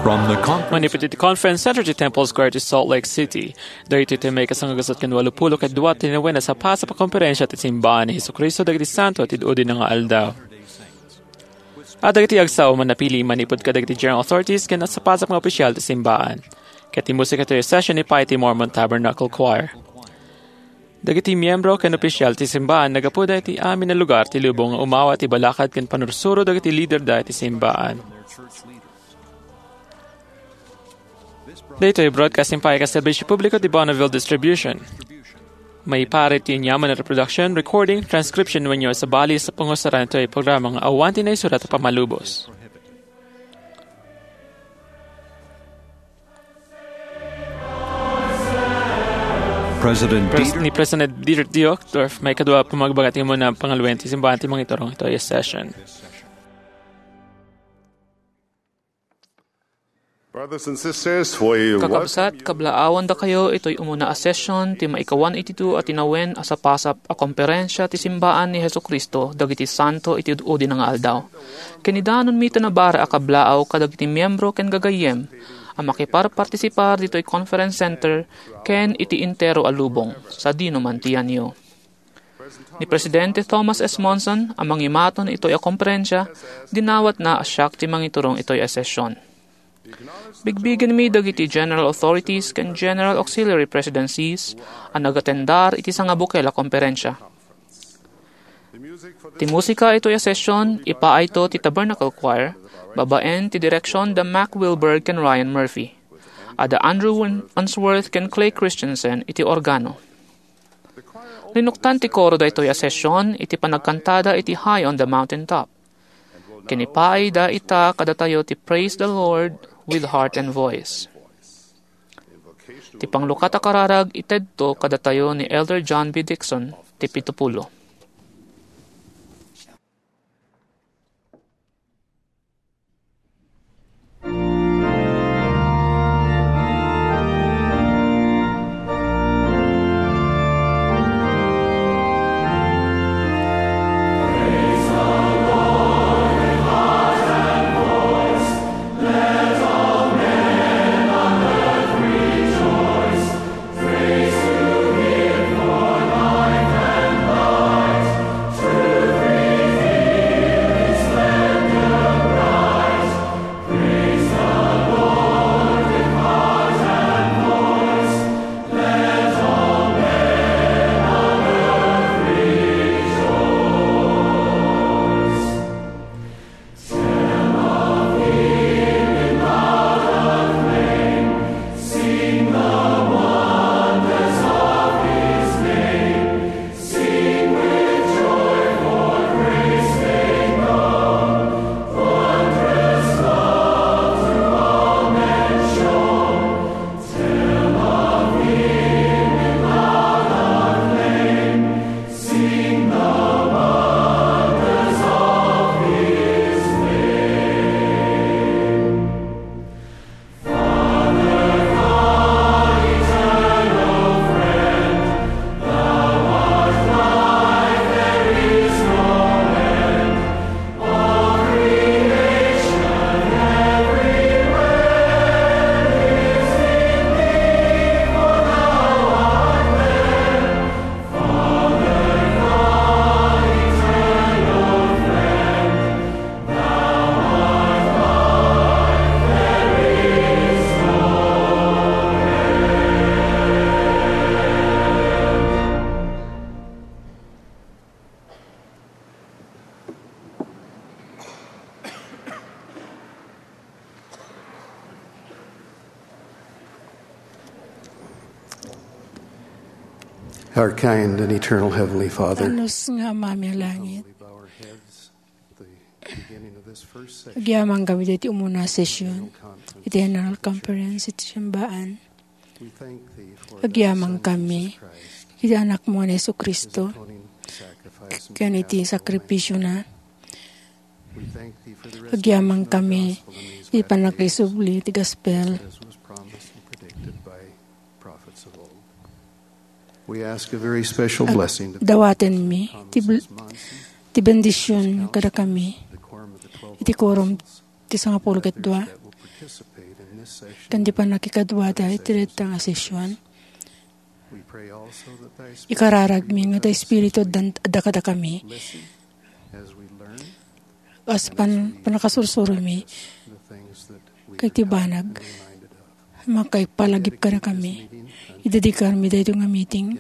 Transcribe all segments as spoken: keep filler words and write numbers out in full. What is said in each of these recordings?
From the conference Manipud iti Conference Center ti Temple Square ti Salt Lake City. Daytoy ti May kasangagasat ken walupulo ket dua ti nawen a sapasap a komperensia ti Simbaan ni Jesu-Cristo dagiti Santo ti Udi nga Aldaw. A dagiti agsao a napili manipud kadagiti general authorities ken sapasap nga opisyal ti Simbaan. Ket ti musika ti session ni Pay ti Mormon Tabernacle Choir. Dagiti miyembro ken opisyal ti Simbaan naggapuda iti amin a lugar ti lubong nga umawa ti balakad ken panursuro dagiti liderda iti Simbaan. Daytoy broadcasting pay ket serbisyo publiko ti Bonneville Distribution. Maipaay ti aniaman a reproduction, recording, transcription wenno sabali sa pangusaran daytoy programa nga awan ti naisurat a pammalubos. President Pres-, Dieter ni President Dieter D. Uchtdorf, maikadua a pamagbaga ti umuna a pangaluen ti Simbaan ti mangiturong itoy a session. Brothers and sisters, we Kakabsat, welcome you. Kablaawandakayo itoy umuna a session ti maikawan iti dua a tinawen a sapasap a komperensia ti Simbaan ni Jesu-Cristo dagiti Santo iti Udi nga Aldaw. Ken idanonmi ti nabara a kablaaw kadagiti miyembro ken gagayyem a makiparpartisipar ditoy Conference Center ken iti entero a lubong, sadino man ti yanyo. Ni Presidente Thomas S. Monson a mangimaton itoy a komperensia, dinawatna a siak ti mangiturong itoy a session. Bigbigenmi dagiti General Authorities ken General Auxiliary Presidencies a nagatendar iti sangabukel a komperensia. Ti musika itoy a session, ipaayto ti Tabernacle Choir, babaen ti direksion da Mac Wilberg ken Ryan Murphy. Adda Andrew Win-, Unsworth ken Clay Christensen iti organo. Linuktan ti koro daytoy a session iti panagkantada iti High on the Mountain Top. Ken ipaayda ita kadatayo ti Praise the Lord with Heart and Voice. Ti panglukat a kararag itedto kadatayo ni Elder John B. Dixon, ti pitupulo. Our kind and eternal Heavenly Father, Anus nga Amami a langit. Agyamankami iti umuna a session iti General Conference iti Simbaan. Agyamankami iti Anakmo nga ni Jesu-Cristo ken iti sakripisiona. Agyamankami iti pannakaisubli ti gospel. We ask a very special blessing to Dawatenmi ti bl-, ti bendision kadakami iti quorum ti sangapulo ket dua. ken ti pannakikaduada iti dayta nga sesion. Ikararagmi nga ti Espiritu addan-, adda kadakami. As pan-, pannakasursuromi ket ti banag, makaipalagip kadakami. Idedikarmi daytoy nga meeting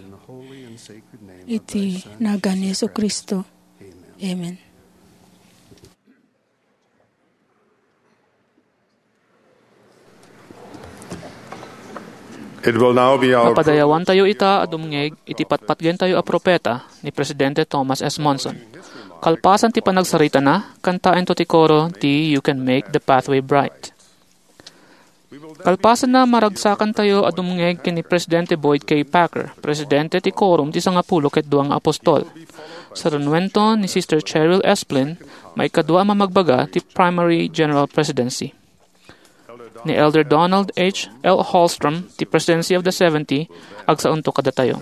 iti nagan ni Jesu-Cristo. Amen. It will now be our Mapadayawantayo ita a dumngeg iti patpatgentayo a propeta ni Presidente Thomas S. Monson. Kalpasan ti panagsaritana, kantaento ti koro ti "You Can Make the Pathway Bright." Kalpasanna, maragsakantayo a dumngeg ken ni Presidente Boyd K. Packer, Presidente ti Quorum ti Sangapulo ket Dua nga Apostol. Sarunuento ni Sister Cheryl Esplin, maikadua a mamagbaga ti Primary General Presidency. Ni Elder Donald H. L. Hallstrom ti Presidency of the Seventy, agsaonto kadatayo.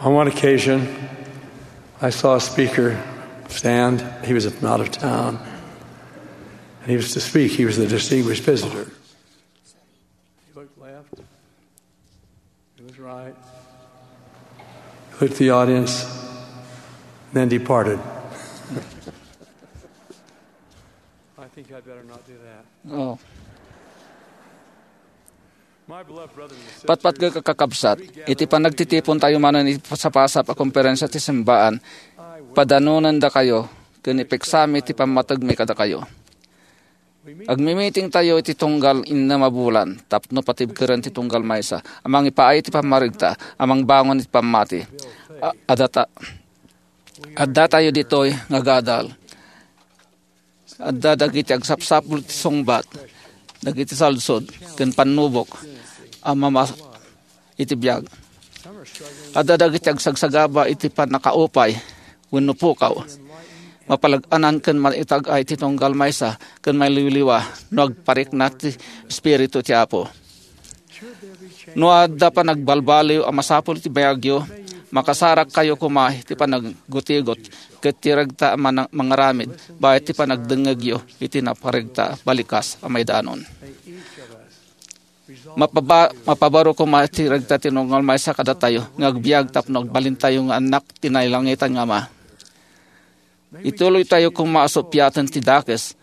On one occasion, I saw a speaker stand. He was from out of town. And he was to speak. He was the distinguished visitor. He looked left. He looked right. He looked at the audience, and then departed. I think I'd better not do that. Oh. My beloved brothers and sisters, Patpatgek a kakabsat, iti panagtitipon tayo manen iti pasapasap a komperensia ti simbaan, padanonendakayo ken ipeksami ti pammategmi kadakayo. Agmimiting tayo iti tunggal innem a bulan tapno patibkeren ti tunggal maysa a mangipaay iti pammaregta a mangbangon iti pammati. A-, adda ta-, adda tayo ditoy nga gadal. Adda dagiti agsapsapul ti sungbat, dagiti salsod, ken pannubok a mama-, iti biag. Adda dagiti agsagsagaba iti pannakaupay wenno pukaw. Mapalag-anan ken maitag-ay ti tunggal maysa ken maliwliwa no agparikna ti Espiritu ti Apo. No adda panagbalbaliw a masapul iti biagyo, makasarakkayo koma iti panagtigot ket ti regta a mana-, mangaramid bayat ti panagdengngegyo iti naparegta a balikas a maidanon. Mapaba-, mapabaro koma ti regta ti tunggal maysa kadatayo nga agbiag tapno agbalintayo nga annak ti nailangitan nga Ama. Ituloytayo koma a suppiaten ti dakes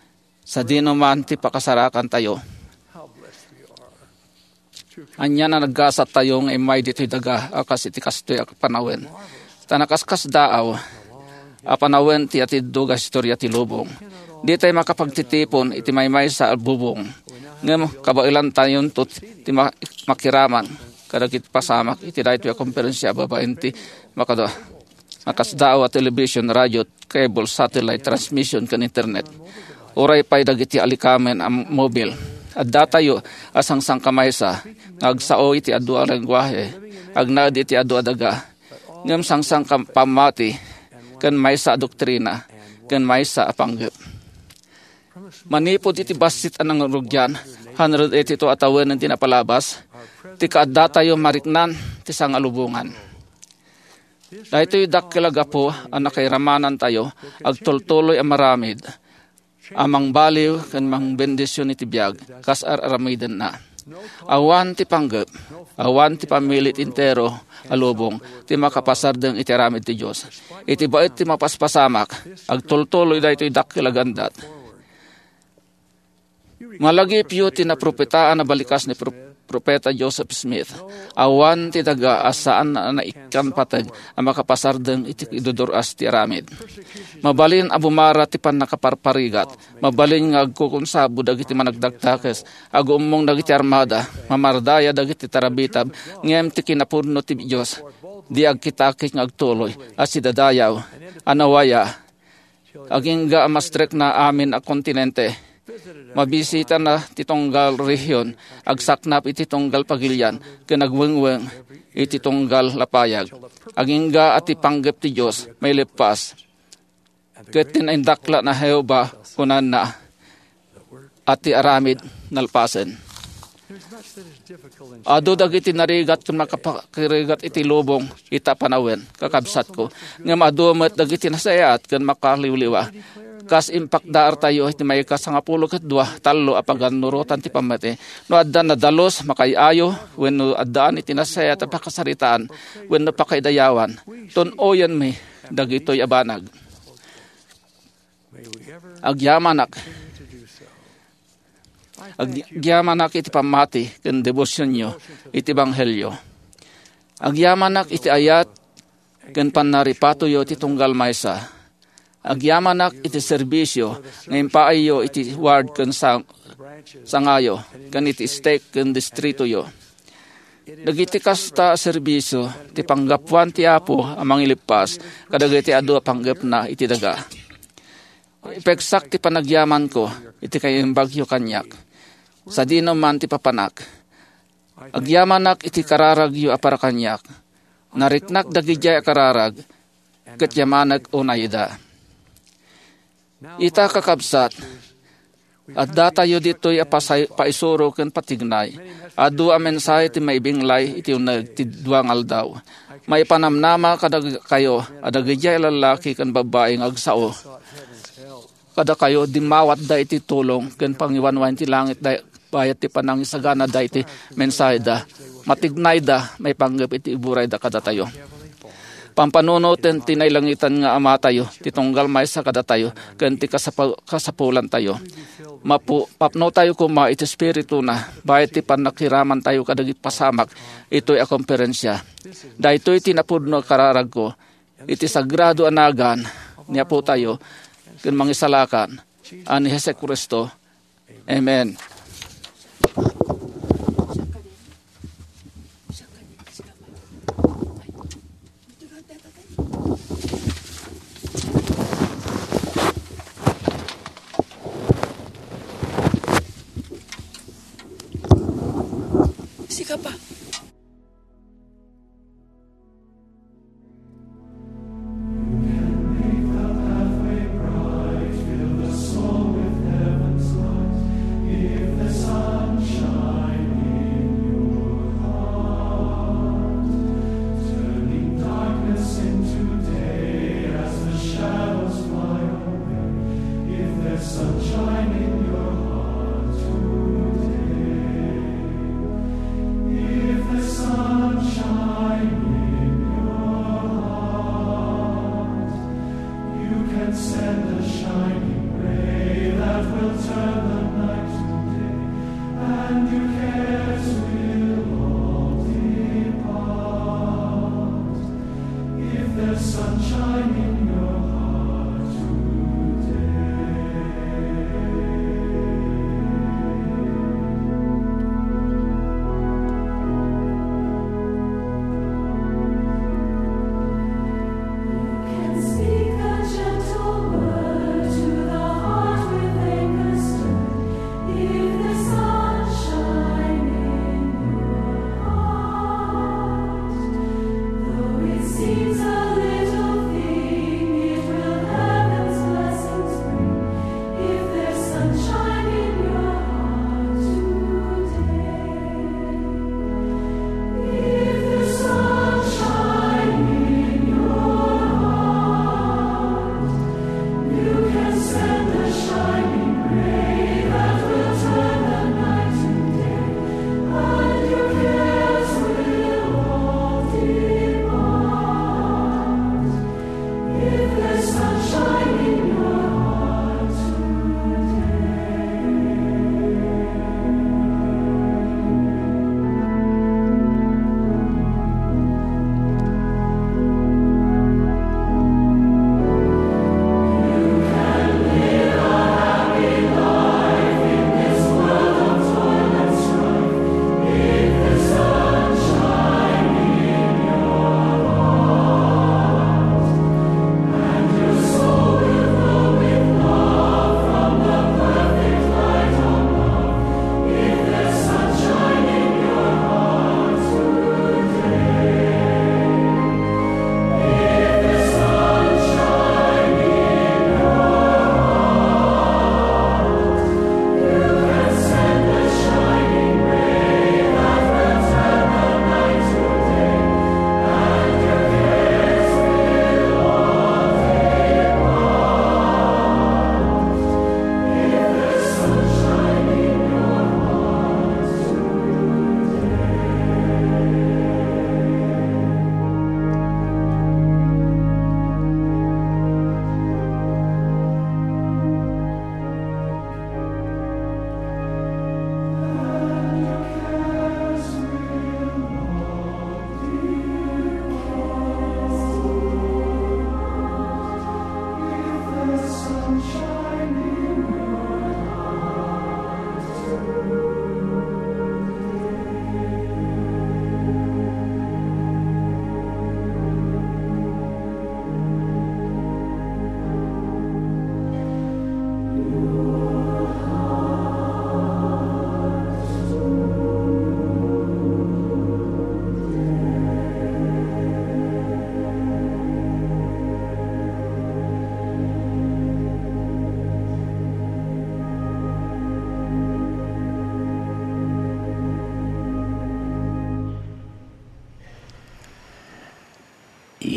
sadino man ti pakasarakantayo. Ania a naggasat tayo nga immay ditoy daga a kas iti kastoy a panawen. Ta nakaskasdaaw a panawen ti atiddog a historia ti lubong. Ditay makapagtitipon iti maymaysa a bubong. Ngem kabaelantayonto ti ma-, makiraman kadagiti pasamak iti daytoy a komperensia babaen ti makada-, makasdaaw a television, radio, cable, satellite transmission, ken internet. Uray pay dagiti alikamen a mobil. Addatayo a sangsangkamaysa nga agsao iti adu a lengguahe, agnaed iti adu a daga, ngem sangsangkapammati ken maysa a doktrina ken maysa a panggep. Manipud iti bassit a nangrugian, hundred eighty-two a tawenen ti napalabas, ti kaaddatayo mariknan ti sangalubongan. Daytoy dakkel a gapu a nakairamanantayo agtultuloy a maramid a mangbaliw ken mangbendision iti biag kas ar-aramidenna. Awan ti panggep, awan ti pammilit entero a lubong ti makapasardeng iti aramid ti Dios. Iti baet ti mapaspasamak, agtultuloy daytoy dakkel a gandat. Malagipyo ti napropetaan a balikas ni Pro-, Propeta Joseph Smith. Awan ti daga a saan a naikkan pateg a makapasardeng iti idudur-as ti aramid. Mabalin a bumara ti pannakaparparigat. Mabalin nga agkukunsabo dagiti managdakdakes, agummong dagiti armada, mamardaya dagiti tarabitab, ngem ti kinapudno ti Dios, di agkitakit nga agtuloy a sidadayaw, a nawaya, agingga a mastrekna amin a kontinente. Mabisitana ti tunggal rehiyon, agsaknap iti tunggal pagilian, ken agwengweng iti tunggal lapayag. Agingga a ti panggep ti Dios maileppas. Ket ti naindaklan a Jehovah, kunana, a ti aramid nalpasen. Adu dagiti narigat ken makapakirigat iti lubong ita panawen, kakabsatko. Ngem adu met dagiti nasayaat ken makaliwliwa. Kas impakdaartayo iti maikasangapulo ket dua, tallo a pagannurotan ti pammati. No adda nadalus, makaay-ayo, wenno addaan iti nasayaat a pakasaritaan, wenno pakaidayawan, tun-oyenmi dagitoy a banag. Agyamanak. Agyamanak iti pammati ken debosionyo iti ebanghelio. Agyamanak iti ayat ken pannaripatoyo iti tunggal maysa. Agyamanak iti serbisio nga impaayyo iti ward ken sang-, sangayo, ken iti stake ken distritoyo. Dagiti kasta a serbisio ti panggapuan ti Apo a mangilippas kadagiti adu a panggepna iti daga. Ipegsak ti panagyamanko iti kaimbagyo kaniak. Sadino man ti papanak. Agyamanak iti kararagyo a para kaniak. Nariknak dagidiay a kararag, ket yamanek unay ida. Ita, kakabsat, addatayo ditoy a pasay-, paisuro ken patignay. Adu a mensahe ti maibinglay iti uneg ti dua nga aldaw. Maipanamnama kadakayo a dagidiay a lallaki ken babbai nga agsao kadakayo, dimmawatda iti tulong ken pangiwanwan ti langit da-, bayat ti panangisaganada iti mensaheda. Matignayda maipanggep iti iburayda kadatayo. Pampanunoten ti nailangitan nga Amatayo ti tunggal maysa kadatayo ken ti kasapu-, kasapulantayo. Mapu-, mapnotayo koma iti Espirituna bayat ti pannakiramantayo kadagiti pasamak itoy a komperensia. Daytoy ti napudno a kararagko iti sagrado a nagan ni Apotayo ken Mangisalakan a ni Jesu-Cristo. Amen. Sika pa. If there's sunshine in your heart today, if there's sunshine in your heart, you can send a shining ray that will turn the night to day, and your cares will all depart. If there's sunshine in your heart today.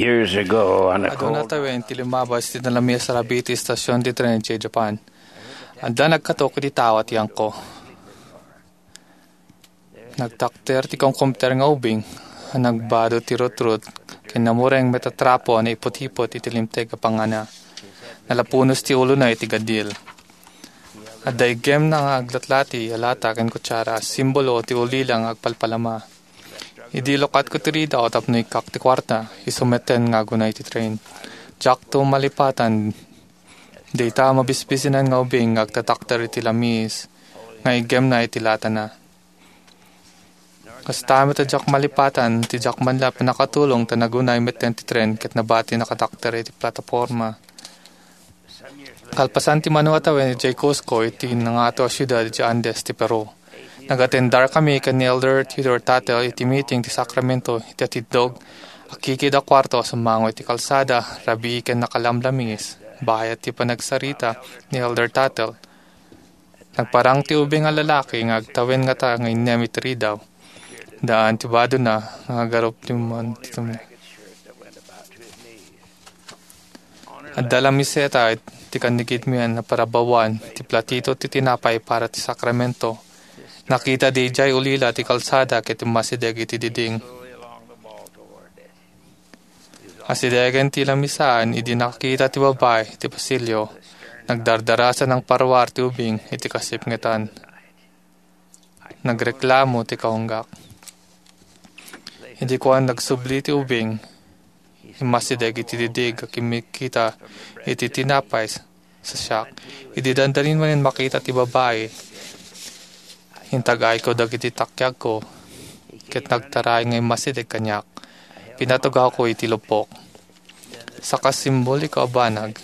Years ago, on a Aduna cold tawen ti limabas ti nalamis a rabii ti estasion ti tren idiay Japan. Adda nagkatok iti tao a tiyangko. Nagtakder ti kumkumter nga ubing a nagbado ti rutrut ken namureng met a trapo a naiput-iput iti limteg a pangana. Nalapunos ti ulona iti gadil. Adda iggemna nga aglatlati a lata ken kutsara a simbolo ti ulila nga agpalpalama. Idi lukatko ti ridaw tapno ikkak ti kuarta, isu metten nga agunay ti tren. Diakto malipatan dayta a mabisbisinan nga ubing nga agtatakder iti lamis nga iggemna iti latana. Kasta met a diak malipatan ti diak man la pannakatulong ta nagunay metten ti tren ket nabati nakatakder iti plataporma. Kalpasan ti mano a tawen idiay Cusco iti nangato a siudad iti Andes ti Peru. Nagatendarkami ken ni Elder Theodore Tuttle iti meeting ti sakramento iti atiddog a kikid a kuarto a summango iti kalsada, rabii ken nakalamlamis. Bayat ti panagsarita ni Elder Tuttle, nagparang ti ubing a lalaki nga agtawen ngata nga innem iti ridaw. Daan ti badona nga agarup ti man ti tumne. Adda la miseta ti kannigidmian a parabawan ti platito ti tinapay para ti sakramento. Nakita daydiay ulila ti kalsada ket immasideg iti diding. Asidegen ti lamisaan idi nakita ti babai ti pasilio. Nagdardarasa nang parwar ti ubing iti kasipngetan. Nagreklamo ti kaunggak. Idi kuan nagsubli ti ubing, immasideg iti didig a kimmikita iti tinapay sa siak. Idi dandanin manen makita ti babai, intag-ayko dagiti takiagko, ket nagtaray nga immasideg kaniak. Pinatugawko iti lupok. Saka simboliko a banag,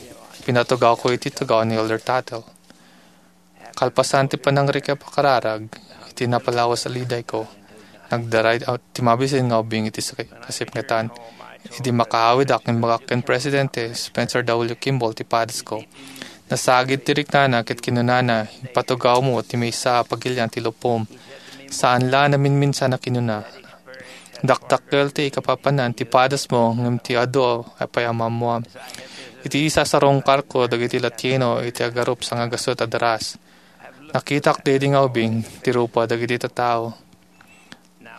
pinatugawko iti tugaw ni Elder Tuttle. Kalpasan ti panangrikep a kararag, iti napalawas a lidayko, nagdaray ti mabisin nga ubing iti saki-, kasipngetan. Idi makaawidak, imbagak ken Presidente Spencer W. Kimball ti padasko. Nasagid ti riknana ket kinunana, "Ipatugawmo ti maysa a pagilian ti lupom." Saan la a naminminsan a kinuna. Dakdakkel ti ikapapanan ti padasmo, ngem ti adu a pay a maammoam. Iti isasarungkarko dagiti Latino iti agarup sangagasut a daras. Nakitak daydi nga ubing ti rupa dagiti tattao.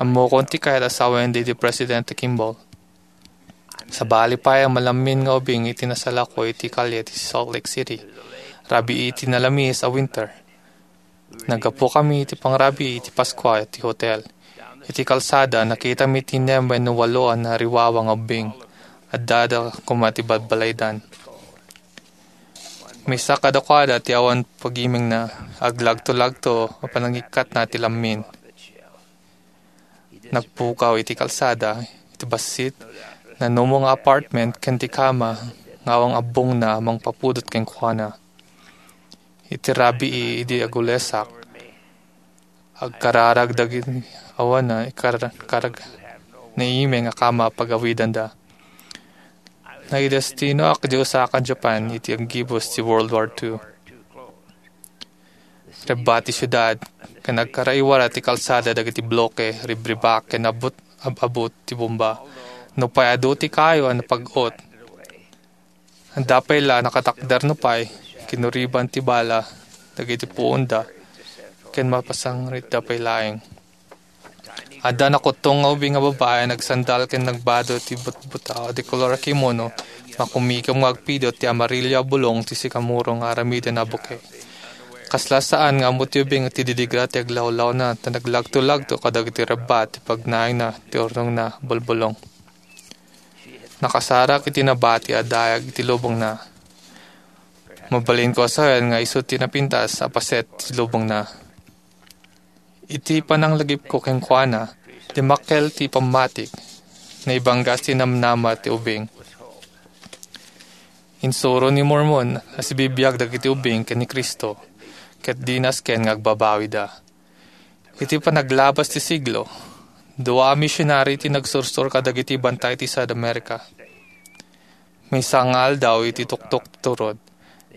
Ammokon ti kayat a sawen daydi Presidente Kimball. Sabali pay a malammin nga ubing iti nasalako iti kalye ti Salt Lake City. Rabii iti nalamis a winter. Naggapu kami iti pangrabii iti Paskua iti hotel. Iti kalsada, nakitami ti nem wenno walo a nariwawa nga ubbing. Addada koma ti balbalaydan. Maysa kadakuada ti awan pagimengna, aglagto-lagto a panangikkatna ti lammin. Nagpukaw iti kalsada, iti bassit, nanumo nga apartment ken ti kama nga awan abbongna a mangpapudot kenkuana. Iti rabii idi agulesak, agkararag dagiti awan a ikar-, karag-, naimeng a kama a pagawidanda. Naidestinoak idiay Osaka, Japan, iti aggibus ti World War Two. Rebba ti siudad, ken agkaraiwara ti kalsada dagiti bloke, ribribak, ken abut-, ab-abut ti bomba. Nupay adu ti kayo a napag-ot, adda pay la nakatakder nupay, kinuriban ti bala dagiti puonda, ken mapasangitda pay laeng. Adda nakuttong nga ubing nga babai a nagsandal ken nagbado ti butbutaw a di kolor a kimono, makumikom nga agpidot ti amarillo a bulong ti sikamoro nga aramiden a buke. Kasla saan nga ammo ti ubing ti didigra ti aglawlawna, ta naglagto-lagto kadagiti rebba ti pagnaingna ti urnongna a bulbulong. Nakasarak iti nabati a dayag iti lubongna. Mabalinko a sawen nga isu ti napintas a paset ti lubongna. Iti pananglagipko kenkuana, dimmakkel ti pammatik, naibanggas ti namnama ti ubing. Insuro ni Mormon a sibibiag dagiti ubing ken ni Cristo, ket di nasken nga agbabawida. Iti panaglabas ti siglo, dua a misionari ti nagsursor kadagiti bantay ti South America. Maysa nga aldaw iti tuktok ti turod,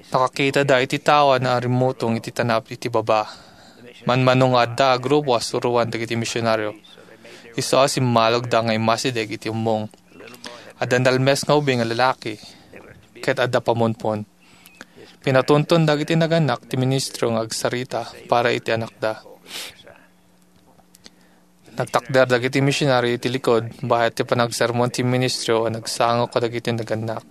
nakakitada iti tao a narimmutong iti tanab iti baba. Manmano nga adda a grupo a suroan dagiti misionaryo. Isu a simmalogda nga immasideg iti ummong. Adda nalmes nga ubing a lalaki, ket adda pamunpon. Pinatunton dagiti nagannak ti ministro nga agsarita para iti anakda. Nagtakder dagiti misionari iti likod bayat ti panagsermon ti ministro a nagsango kadagiti nagannak.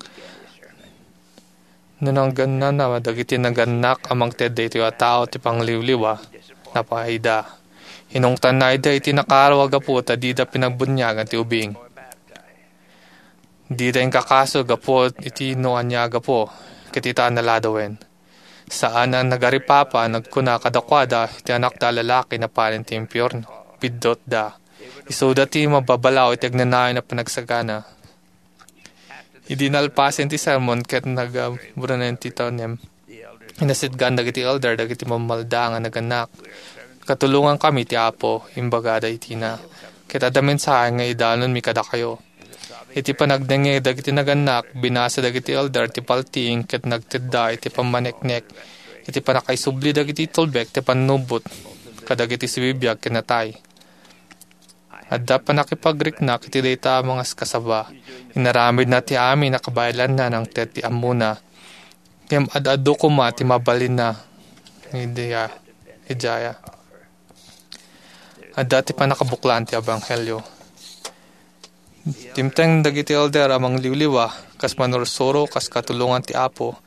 No nagannanna dagiti nagannak a mangted daytoy a tao ti pangliwliwa, napaayda. Inungtanna ida iti nakaaro a gapu ta dida pinagbuniagan ti ubing. Dida inkakaso gapu iti no ania a gapu, ket ita a naladawen. Saan a nagaripapa, nagkuna kadakuada iti anakda a lalaki napanen ti impierno. Biddutda. Isuda ti mababalaw iti agnanayon a panagsagana. Idi nalpasen ti sermon ket nagaburunen ti tanem, inasitgan dagiti elder dagiti mammalda nga nagannak. "Katulongankami ti Apo," imbagada iti ina, "ket adda mensahe nga idanonmi kadakayo." Iti panagdengngeg dagiti nagannak, binasa dagiti elder ti paltiing ket nagtedda iti pammaneknek iti pannakaisubli dagiti tulbek ti pannubot kadagiti sibibiag ken natay. Adda pannakipagriknak iti dayta a mangaskasaba. Inaramidna ti amin a kabaelanna nangted ti ammona. Ngem ad-adu koma ti mabalinna idiay, idiay. Adda ti pannakabuklan ti ebanghelio. Dimteng dagiti elder a mangliwliwa, kas manursuro, kas katulongan ti Apo,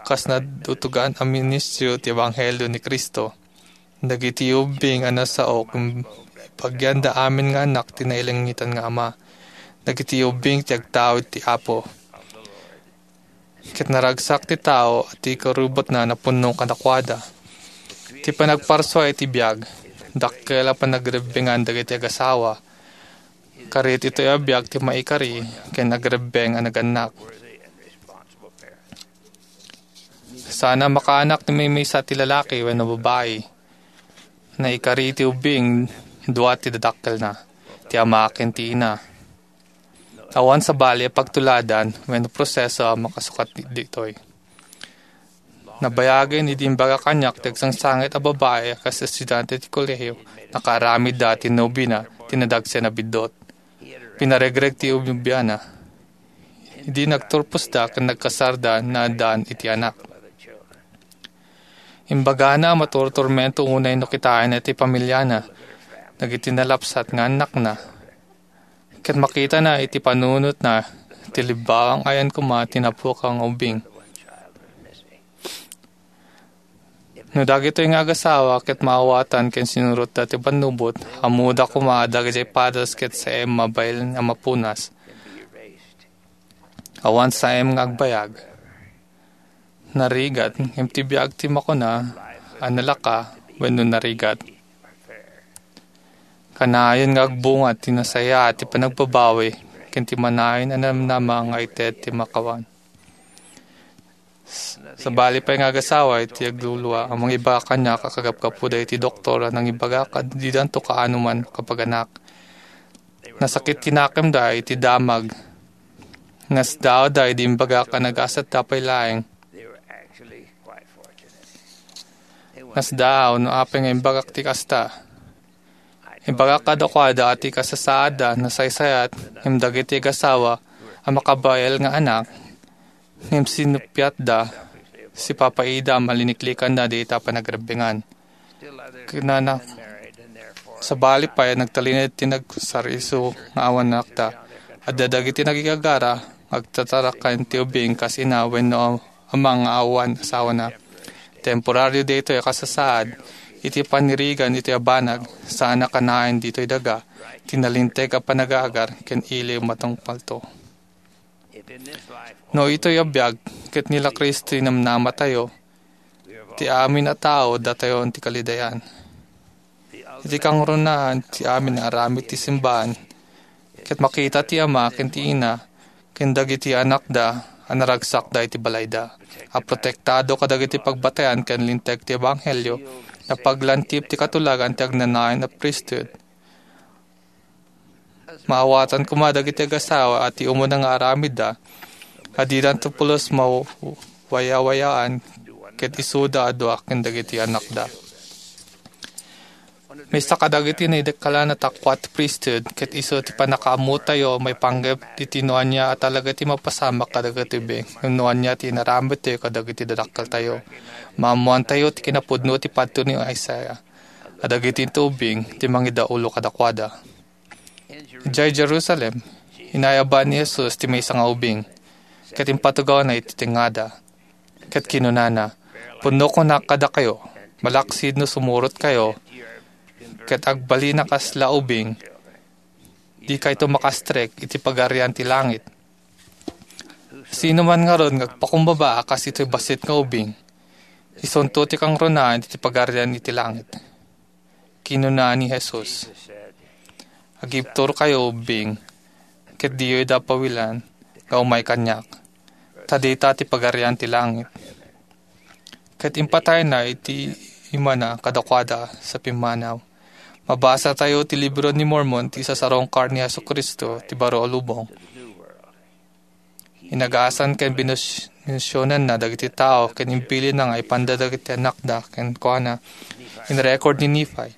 kas nadutogan a ministro ti ebanghelio ni Cristo. Dagiti ubbing a nasao, ket ibagyanda amin nga annak ti nailangitan nga Ama. Dagiti ubbing ti agtaud ti Apo. Ket naragsak ti tao a ti karubotna napunno kadakuada. Ti panagparsua iti biag, dakkel a panagrebbengan dagiti agasawa. Karit itoy a biag ti maikari ken agrebbeng a nagannak. Saan a makaanak ti maymaysa ti lalaki wenno babai. Naikari ti ubbing, dua ti dadakkelna, ti ama ken ti ina. Awan sabali a pagtuladan wenno proseso a makasukat ditoy. Nabayagen idi imbagak kaniak ti agsangsangit a babai a kas estudiante ti kolehiyo, nakaaramidda ti nobena, ti nadagsen a biddut. Pinaregreg ti ubiana. Idi nagturposda ken nagkasarda, naaddaan iti anak. Imbagana a maturtormento unay no kitaenna ti pamiliana, dagiti nalapsat nga annakna, ket makitana iti panunotna ti libbawang ayan koma ti napukaw nga ubbing. No dagitoy nga agasawa ket maawatan ken sinurotda ti pannubot, ammoda koma a dagiti padas ket saem mabain a mapunas. Awan saem nga agbayag. Narigat, ngem ti biag ti makuna a nalaka wenno narigat. Kanayon nga agbunga ti nasayaat ti panagbabawi ken ti manayon a namnama nga ited ti makawan. Sabali pay nga agasawa iti aglulua a mangibaga kaniak a kagapgapuda iti doktor a nangibagak a didanto kaanoman kapaganak. Nasakit ti nakemda iti damag. Nasdaawda idi imbagak a nagasatta pay laeng. Nasdaaw no apay nga imbagak ti kasta. Imbagak kadakuada a ti kasasaadda nasaysayat, ngem dagiti agasawa a makabael nga anak, ngem sinuppiatda, sipapaida a maliniklikanna dayta a panagrebbengan. Kunana, sabali pay a nagtalinaed ti nagsariso nga awan anakda. Adda dagiti nagigagara nga agtataraken ti ubing kas ina wenno ama nga awan asawana. Temporario daytoy a kasasaad iti panirigan iti abanag, saan a kanayon ditoy daga ti nalinteg a panagaagar ken iliw matungpalto. No itoy a biag ket ni la Cristo ti namnamatayo, ti amin a tao datayon ti kalidayan. Iti kangrunaan ti amin a aramid ti simbaan, ket makita ti ama ken ti ina ken dagiti anakda a naragsakda iti balayda, a protektado kadagiti pagbatayan ken linteg ti ebanghelio, napaglantip ti katulagan ti agnanayon a priesthood. Maawatan koma dagiti agasawa a ti umuna nga aramidda a didanto pulos mawayawayaan ket isuda a dua ken dagiti anakda. Maysa kadagiti naidekkalan a takuat ti priesthood, ket isu ti pannakaammotayo maipanggep iti no ania a talaga ti mapasamak kadagiti ubing, ngem no ania ti inaramidtayo kadagiti dadakkeltayo. Maammoantayo ti kinapudno ti padto ni Isaiah, a dagiti ubing ti mangidaulo kadakuada. Idiay Jerusalem, inayaban ni Jesus ti maysa nga ubing, ket impatugawna iti tengngada. Ket kinunana, "Pudno kunak kadakayo, malaksid no sumurotkayo, ket agbalin a kasla ubing, dikayto makastrek iti Pagarian ti Langit. Sino man ngarud nga agpakumbaba a kas itoy bassit nga ubing, isunto ti kangrunaan iti Pagarian iti Langit." Kinuna ni Jesus, "Agibturkayo ubing, ket diyo ida pawilan nga umay kaniak, ta dayta ti Pagarian ti Langit." Ket impatayna iti imana kadakuada sa pimmanaw. Mabasatayo ti Libro ni Mormon, ti isasarungkar ni Jesu-Cristo ti baro a lubong. Inagasan ken binus-, binusyonanna dagiti tao ken imbilinna nga ipanda dagiti annakda kenkuana. In-record ni Nephi.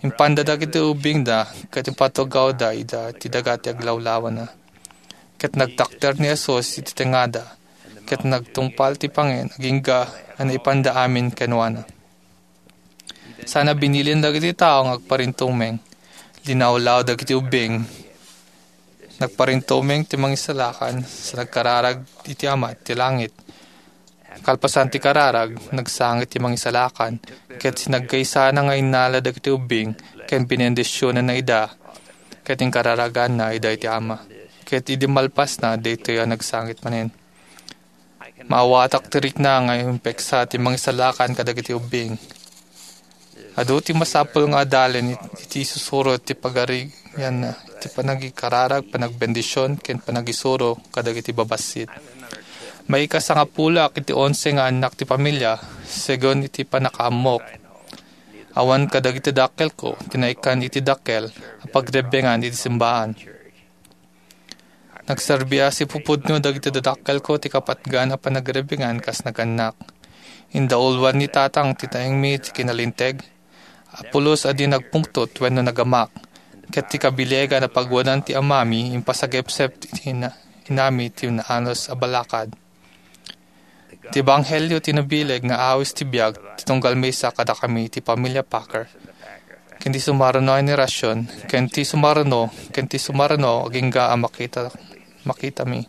Impanda dagiti ubingda ket impatugawda ida ti daga ti aglawlawana. Ket nagtakder ni Jesus iti tengngada, ket nagtungpal ti pangen agingga a naipanda amin kenkuana. Sana binilin dagiti tao nga agparintumeng. Linawlaw dagiti ubing. Nagparintumeng ti mangisalakan sa nagkararag iti Ama ti langit. Kalpasan ti kararag, nagsangit ti mangisalakan, ket sinagkaysana nga innala dagiti ubing ken binendisionanna ida, ket inkararaganna ida iti Ama. Ket idi malpasna, daytoy a nagsangit manen. Maawatak ti rikna nga impeksa ti mangisalakan kadagiti ubing. Adu ti masapul nga adalen it-, iti isusuro ti pagarianna, iti panagikararag, panagbendision, ken panagisuro kadagiti babassit. Maikasangapuloak iti onse nga annak ti pamilia, segun iti pannakaammok. Awan kadagiti dakkelko ti naikkan iti dakkel a pagrebbengan iti simbaan. Nagserbi a sipupudno dagiti dadakkelko ti kapatgan a panagrebbengan kas nagannak. Indauluan ni Tatang ti taengmi ti kinalinteg a pulos a di nagpungtot wenno nagamak, ket ti kabilegan a paguanan ti amami impasagepsep ti ina-, inami ti naanus a balakad. Ti ebanghelio ti nabileg nga awis ti biag ti tunggal maysa kadakami ti pamilia Packer. Ken ti sumaruno a henerasyon, ken ti sumaruno, ken ti sumaruno agingga a makita, makitami.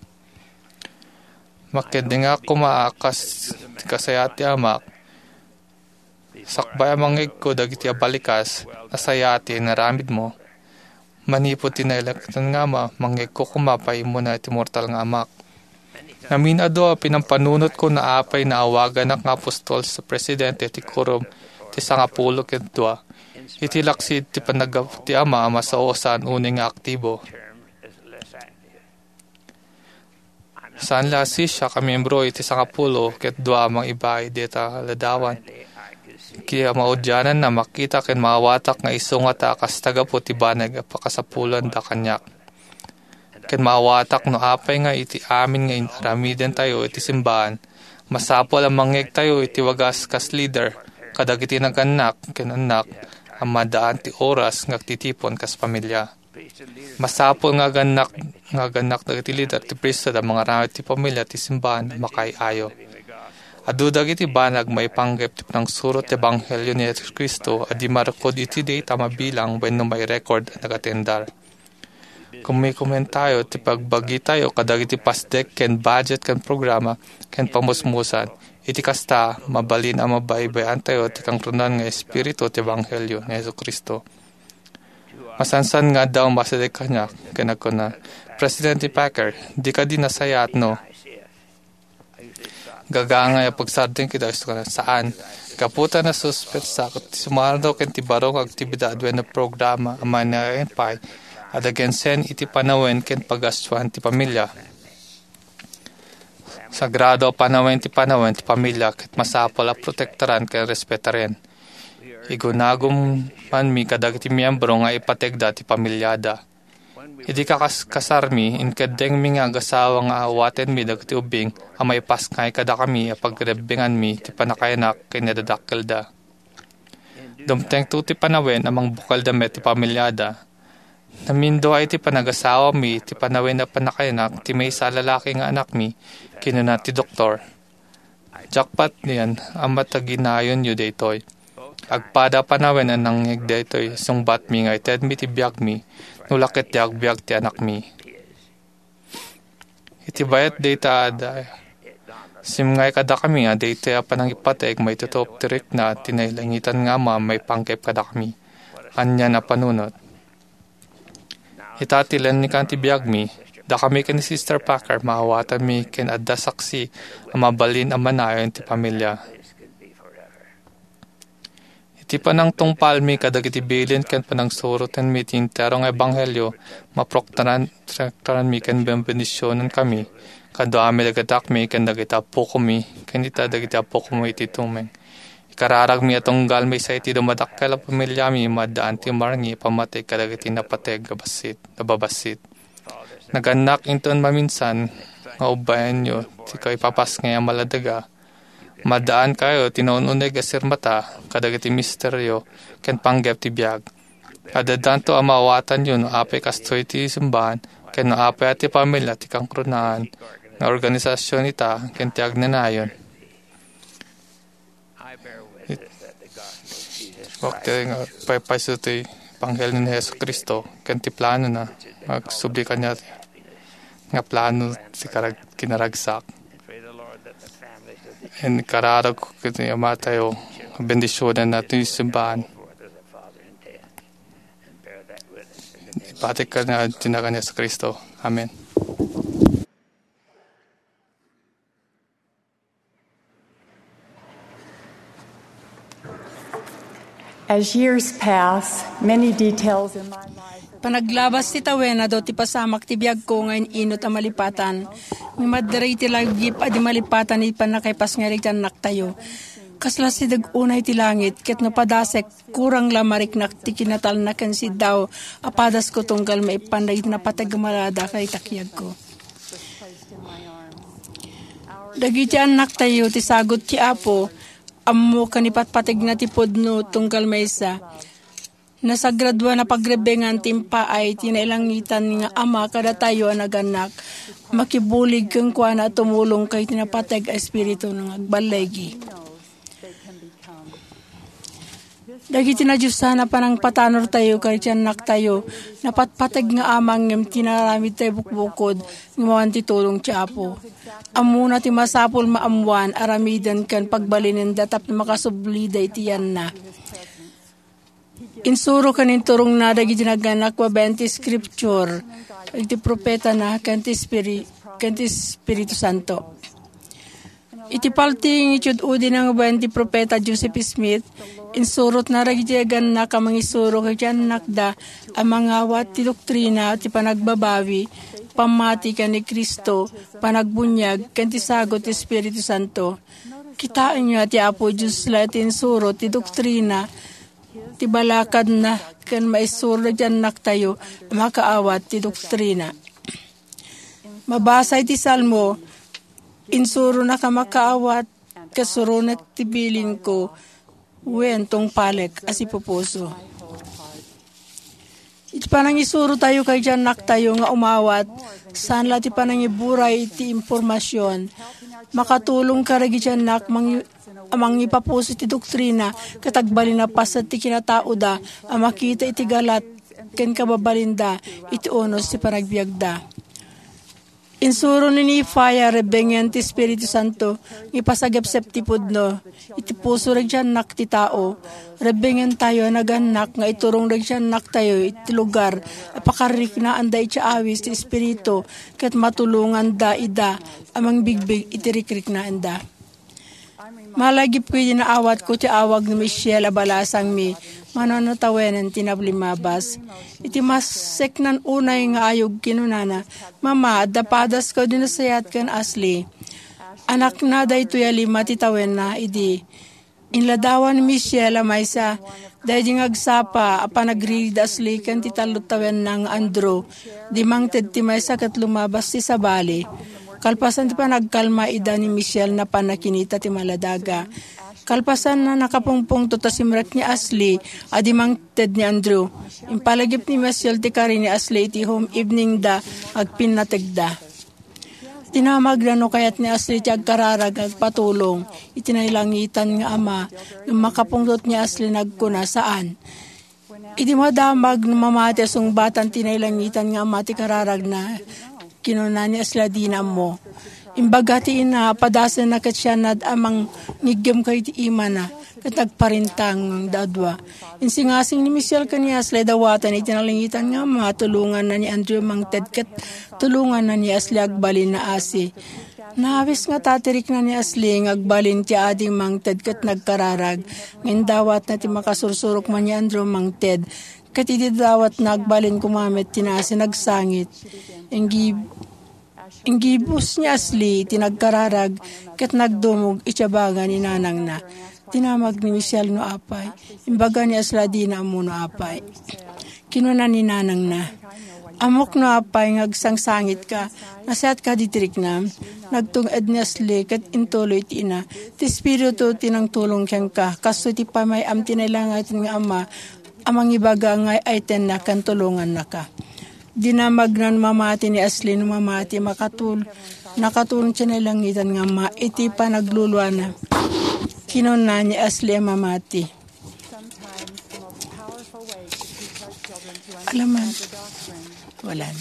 Makeddengak koma a kas ti kasayaat ti amak. Sakbay a mangngegko dagiti abalikas, nasayaat ti inaramidmo. Manipud ti nailaktan nga ama, mangngegko koma pay immuna iti mortal nga amak. Ngamin adu a pinampanunotko no apay naawaganak nga apostol sa presidente ti Quorum ti Sangapulo ket Dua. Iti laksid ti panaggapu ti ama a masao a saan unay nga aktibo. Saan la a sisiak a miyembro iti Sangapulo ket Dua a mangibabaga dita ladawan. Ket maudiananna, makita ken maawatak nga isu ngata a kas tagapu ti banag a pakasapulanda kaniak. Ket maawatak no apay nga iti amin nga in-, aramidentayo iti simbaan, masapul a mangngegtayo iti wagas kas lider kadagiti nagannak ken annak a maddaan ti oras nga agtitipon kas pamilia. Masapul nga agannak, nga agannak dagiti lider ti priesthood a mangaramid ti pamilia ti simbaan a makaay-ayo. Adu dagiti banag maipanggep ti panangsuro ti ebanghelio ni Jesu-Cristo a di marukud iti dayta a mabilang wenno mairecord a nagatendar. Kummikomentayo ti pagbagitayo kadagiti pasdek ken budget ken programa ken pamusmusan. Iti kasta, mabalin a mabaybay-antayo ti kangrunaan nga espiritu ti ebanghelio ni Jesu-Cristo. Masansan nga adda umasideg kaniak ken nagkuna, "Presidente Packer, di kadi nasayaat no?" Gagangay a pagsardengko ita, saan. Gapu ta nasuspensa ti sumaruno ken ti baro nga aktibidad wenno programa a manaen pay a dagensen iti panawen ken pagastuan ti pamilia. Sagrado a panawen ti panawen ti pamilia ket masapul a protektaran ken respetaren. Igunagum manmi kadagiti miyembro nga ipategda ti pamiliada. Idi kakas-, kasarmi, inkeddengmi nga agasawa nga awatenmi dagiti ubbing a maipaskay kadakami a pagrebbenganmi ti pannakainak ken nadadakkelda. Dumtengto ti panawen a mangbukelda met ti pamiliada. Namindua iti panagasawami ti panawen a pannakayanak ti maysa a lalaki nga anakmi, kinuna ti doktor. Jackpot niyan a mataginayonyo daytoy. Agpada panawen a nangngeg daytoy, sungbatmi nga itedmi ti biagmi, no la ket di agbiag ti anakmi. Iti bayat dayta adda, simngay kadakami a daytoy a panangipateg maitutup ti rikna ti nailangitan nga Ama maipanggep kadakami. Ania a panunot? Ita ti lennikan ti biagmi, dakami ken ni Sister Packer maawatanmi ken adda saksi a mabalin a manayon ti pamilya. Iti panangtungpalmi kadagiti bilin ken panangsurotenmi ti entero nga ebanghelio, maproktaran-, traktaranmi ken benbendisionankami, kaduami dagiti anakmi ken dagiti appokomi, ken ita dagiti appokomi iti tumeng. Ikararagmi a tunggal maysa iti dumadakkel a pamiliami, maaddaan ti marngis a pammateg kadagiti napateg a bassit, a babassit. Nagannak inton maminsan nga ubbayanyo ti kaipapasngay a maladaga. Maaddaan kayo ti naun-uneg a sirmata kadagiti misterio ken panggep ti biag. Addanto a maawatanyo no apay kastoy ti simbahan ken no apay a ti pamilya ti kangrunaan nga organisasion ita ken ti agnanayon. Wakte nga paypayso ti Ebanghelio ni Jesu-Cristo ken ti planona nga agsubli kaniak nga plano ti karag-, kinaragsak. Ikararagko iti Amatayo, bendisionen na ti simbahan. Ipatik ka na tinagan ni Jesu-Cristo. Amen. As years pass, many details in my life Panaglabas ti tawen, adu ti pasamak ti biagko nga in-inut a malipatan. Ngem adda dagiti lagip a di malipatan iti pannakaipasngay dagiti annaktayo. Kasla sideg unay ti langit, ket no padasek, kurang la mariknak ti kinatalna ken siddaw a padasko tunggal maippan dagiti napateg a malada kadagiti kiagko. Dagiti annaktayo ti sagut ti Apo, ammo ken ipatpategna ti pudno tunggal maysa. Nasagraduan a pagrebbengan ti impaay ti nailangitan nga Ama kadatayo a nagannak, makibulig kenkuana a tumulong kadagiti napateg a espiritu nga agballigi. Dagiti nadiosan a panangpatanortayo kadagiti annaktayo, napatpateg nga Ama ngem ti naaramidtayo bukbukod nga mapan ti tulong ti Apo. Ammona ti masapul maammoan, aramiden ken pagbalinenda tapno makasublida iti yanna. Insuro ken inturongna dagiti nagannak babaen ti Scripture, iti propetana, ken ti Espiri-, ken ti Espiritu Santo. Iti paltiing iti ud-udina nga babaen ti propeta Joseph Smith, insurotna dagiti nagannak a mangisuro iti annakda a mangawat ti doktrina ti panagbabawi, pammati ken ni Cristo, panagbuniag, ken ti sagut ti Espiritu Santo. Kitaenyo a ti Apo Dios la ti insuro ti doktrina, ti balakadna, ken maisuro dagiti annaktayo a makaawat ti doktrina. Mabasa iti Salmo, insuronak a makaawat, ket suronek ti bilinko, wen tungpalek a sipupuso. Iti panangisurotayo kadagiti annaktayo nga umawat, saan la ti panangiburay iti impormasion. Makatulong kadagiti annak mangi-, a mangipapuso iti doktrina, ket agbalin a paset ti kinataoda a makita iti galat ken kababalinda iti unos ti panagbiagda. Insuro ni Nehemiah a rebbengen ti Espiritu Santo nga ipasagepsep ti pudno iti puso dagiti annak ti tao. Rebbengentayo a nagannak nga iturong dagiti annaktayo iti lugar a pakariknaanda iti awis ti Espiritu ket matulonganda ida a mangbigbig iti rikriknaanda. Malagipko idi naawatko ti awag ni Michelle a balasangmi, mano no tawenen ti nablimabas. Iti maseknan unay nga ayog kinunana, "Mama, adda padasko idi nasayaat ken Ashley." Anakna daytoy a lima ti tawenna idi. Inladawan ni Michelle a maysa, daydi nga agsapa a panagririd Ashley ken ti tallo tawenna nga Andrew, di mangted ti maysa ket lumabas ti sabali. Kalpasan ti panagkalma ida ni Michelle, napan nakinita ti maladaga. Kalpasan na nakapungpungtot a simrek ni Ashley a di mangted ni Andrew. Impalagip ni Michelle ti kari ni Ashley iti home evening da agpinnategda. Dinamagna no kayat ni Ashley ti agkararag nga agpatulong iti nailangitan nga Ama. Ngem makapungtot ni Ashley, nagkuna, "Saan." Idi madamag no mamati a sungbatan ti nailangitan nga Ama ti kararagna, kinuna ni Ashley a dina ammo. Imbaga ti ina, padasenna ket sianna a mangiggem kadagiti imana ket nagparintangda a dua. Insingasing ni Michelle ken ni Ashley a dawaten iti nailangitan nga Ama, tulonganna ni Andrew mangted ket tulonganna ni Ashley agbalin a asi. Naawis ngata ti rikna ni Ashley nga agbalin ti adi mangted ket nagkararag. Ngem dawatna ti makasursurok man ni Andrew mangted, ket idi dawatna, agbalin koma met ti naasi, nagsangit. Inggib-, inggibus ni Ashley ti nagkararag ket nagdumog iti abaga ni nanangna. Dinamag ni Michelle no apay. Imbaga ni Ashley a dina ammo no apay. Kinuna ni nanangna, "Ammok no apay nga agsangsangitka. Nasayatka diti riknam." Nagtung-ed ni Ashley ket intuloy ti ina, "Ti Espiritu ti nangtulong kenka. Kastoy ti pamay-am ti nailangitan nga Ama a mangibaga nga ay-aytenna ken tulongannaka." Dinamagna no mamati ni Ashley, no mamati, makatul-, nakatulong ti nailangitan nga Ama iti panagluluana. Kinuna ni Ashley a mamati. Alaman. Walan.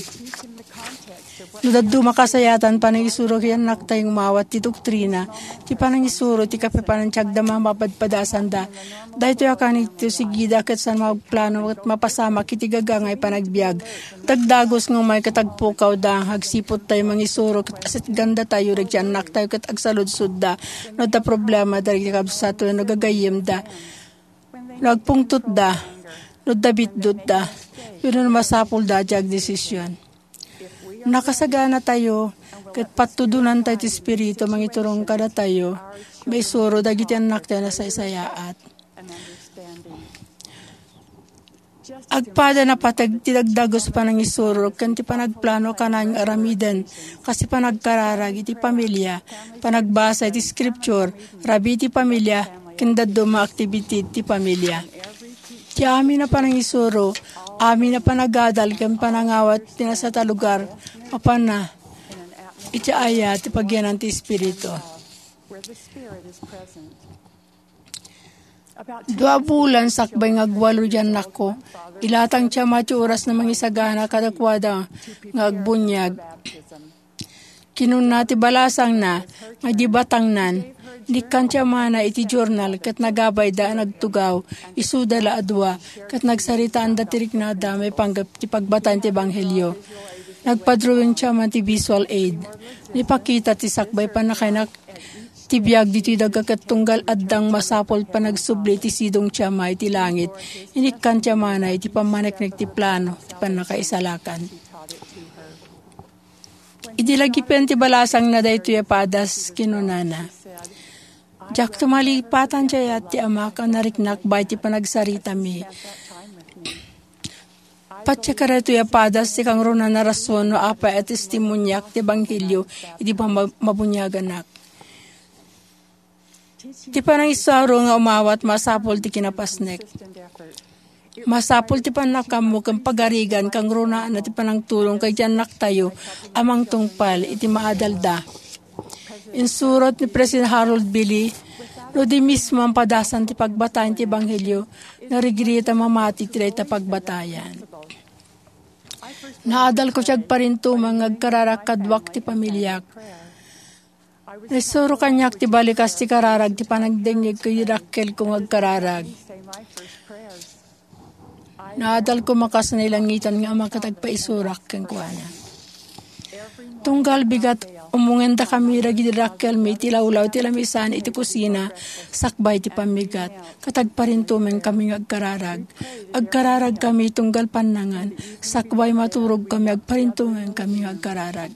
No dadduma kasayatan panangisuro iti annaktayo nga umawat ti doktrina, ti panangisuro ti kapapanan ti agdama a mapadpadasanda. Daytoy a kanito, sigida ket saan magplano ket mapasamak iti gagangay panagbiag. Dagdagus nga umay ket agpukawda, agsiputtayo mangisuro ket asitgandatayo dagiti annaktayo ket agsaludsodda no adda problema dagiti kabsat wenno gagayyemda. No agpungtotda, no adda bitdotda, wenno no masapulda a diak desisyon. Nakasaganatayo ket patudonantayo ti Espiritu a mangiturong kadatayo, maisuro dagiti annaktayo a nasaysayaat. Agpada napateg ti dagdagus a panangisuro ken ti panagplano a kanayon nga aramiden, kas ti panagkararag iti pamilia, panagbasa iti Scripture, rabii ti pamilia, ken dadduma a aktibidad ti pamilia. Ti amin a panangisuro, amin a panagadal ken panangawat ti nasayaat a lugar, mapanna iti ayat ti pagyanan ti Espiritu. Dua a bulan sakbay nga agwalo ti annakko, ilatang ti ama ti oras a mangisagana kadakuada nga agbuniag. Kinuna ti balasangna nga idi batangnan, inikkan ti amana iti journal ket nagabayda a nagtugaw, isuda la a dua, ket nagsaritaanda ti riknada maipanggep ti pagbatayan ti ebanghelio. Nagpadrawing ti ama ti visual aid. Nipakita ti sakbay pannakainak ti biag ditoy daga ket tunggal addang masapul panagsubli ti sidong ti ama iti langit, inikkan ti amana iti pammaneknek ti plano ti pannakaisalakan. Idi lagipen ti balasangna daytoy a padas, kinunana, "Diakto malipatan ti ayat ti amak a nariknak baay ti panagsaritami. Patiek a daytoy a padas ti kangrunaan a rason no apay a testimoniak ti ebanghelio idi ma-, mabuniaganak." Ti panangisuro nga umawat masapul ti kinapasnek. Masapul ti pannakammo ken pagarigan kangrunaan ti panangtulong kadagiti annaktayo a mangtungpal iti maadalda. Insurot ni President Harold B. Lee, "No di mismo a padasan ti pagbatayan ti ebanghelio, narigrigat a mamati ti dayta pagbatayan." Naadalko ti agparintumeng nga agkararag kaduak ti pamiliak. Naisuro kaniak ti balikas ti kararag ti panagdengngeg ken dakkelko nga agkararag. Naadalko a kas nailangitan nga ama ket agpaisurak kenkuana. Tunggal bigat, umungenda kami dagiti dakkelmi iti lawlaw ti lamisan iti kusina sakbay ti pammigat, ket agparintumeng kami nga agkararag. Agkararag kami tunggal pannangan, sakbay maturog kami, agparintumeng kami nga agkararag.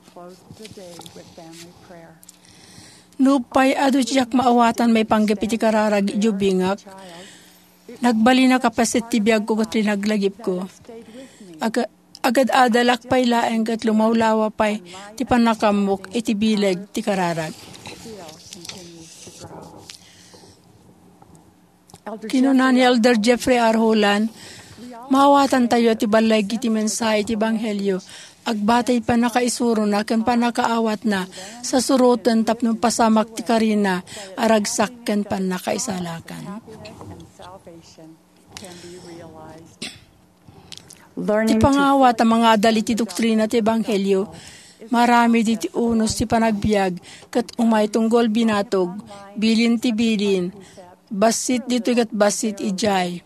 Nupay adu ti diak maawatan maipanggep iti kararag idiay ubingak, nagbalinak a paset ti biagko ket linaglagipko. Aga-, agad-adalak pay laeng ket lumawlawa pay ti pannakaammok iti bileg ti kararag. Kinuna ni Elder Jeffrey R. Holland, "Maawatantayo ti balleg iti mensahe ti Ebanghelio, agbatay pannakaisurona ken pannakaawatna, sa suroten tapno pasamak ti karina a ragsak ken pannakaisalakan." Ti pangawat a mangadal iti doktrina ti Ebanghelio, maaramid iti unos ti panagbiag, ket umay tunggol binatog, bilin ti bilin, bassit ditoy ket bassit idiay.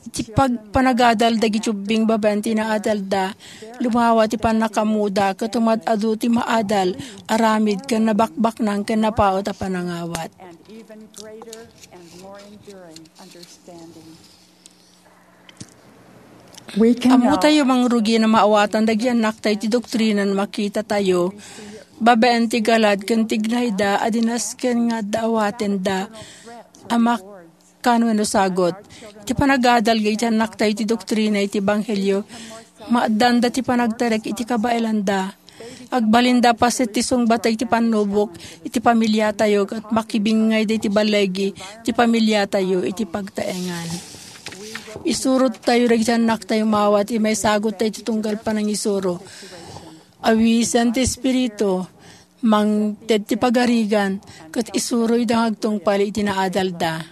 Iti pag-, panagadal dagiti ubbing babaen ti naadalda, lumawa ti pannakaammoda, ket umad-adu ti maadal, aramid, ken nabakbaknang ken napaut a panangawat. And even greater and more enduring understanding. We can Ammotayo mangrugi no maawatan dagiti annaktayo ti doktrina no makitatayo babaen ti galad ken tignayda a di nasken nga adda awatenda a makkan wenno sagut. Ti panagadal dagiti annaktayo ti doktrina iti Ebanghelio, maaddaanda ti panagtarek iti kabaelanda. Agbalinda a paset ti sungbatda iti pannubok iti pamiliatayo ket makibingngayda iti ballegi ti pamiliatayo iti pagtaengan. Isurottayo dagiti annaktayo maawat ti maisagutta iti tunggal panangisuro. Awisen ti Espiritu, mangted ti pagarigan, ket isuroyda nga agtungpal iti naadalda.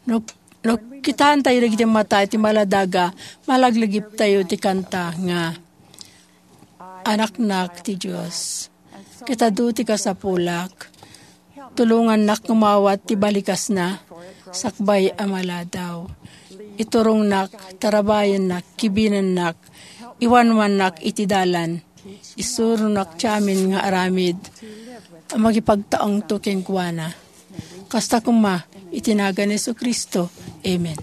No, no kitaentayo dagiti mata iti maladaga, malaglagiptayo ti kanta nga, "Anaknak ti Dios, ket adu ti kasapulak. Tulongannak nga maawat ti balikasna, sakbay a maladaw. Iturongnak, tarabayennak, kibinennak, iwanwannak iti dalan." Isuronak ti amin nga aramid a makipagtaengto kenkuana. Kasta koma, iti nagan ni Jesu-Cristo. Amen.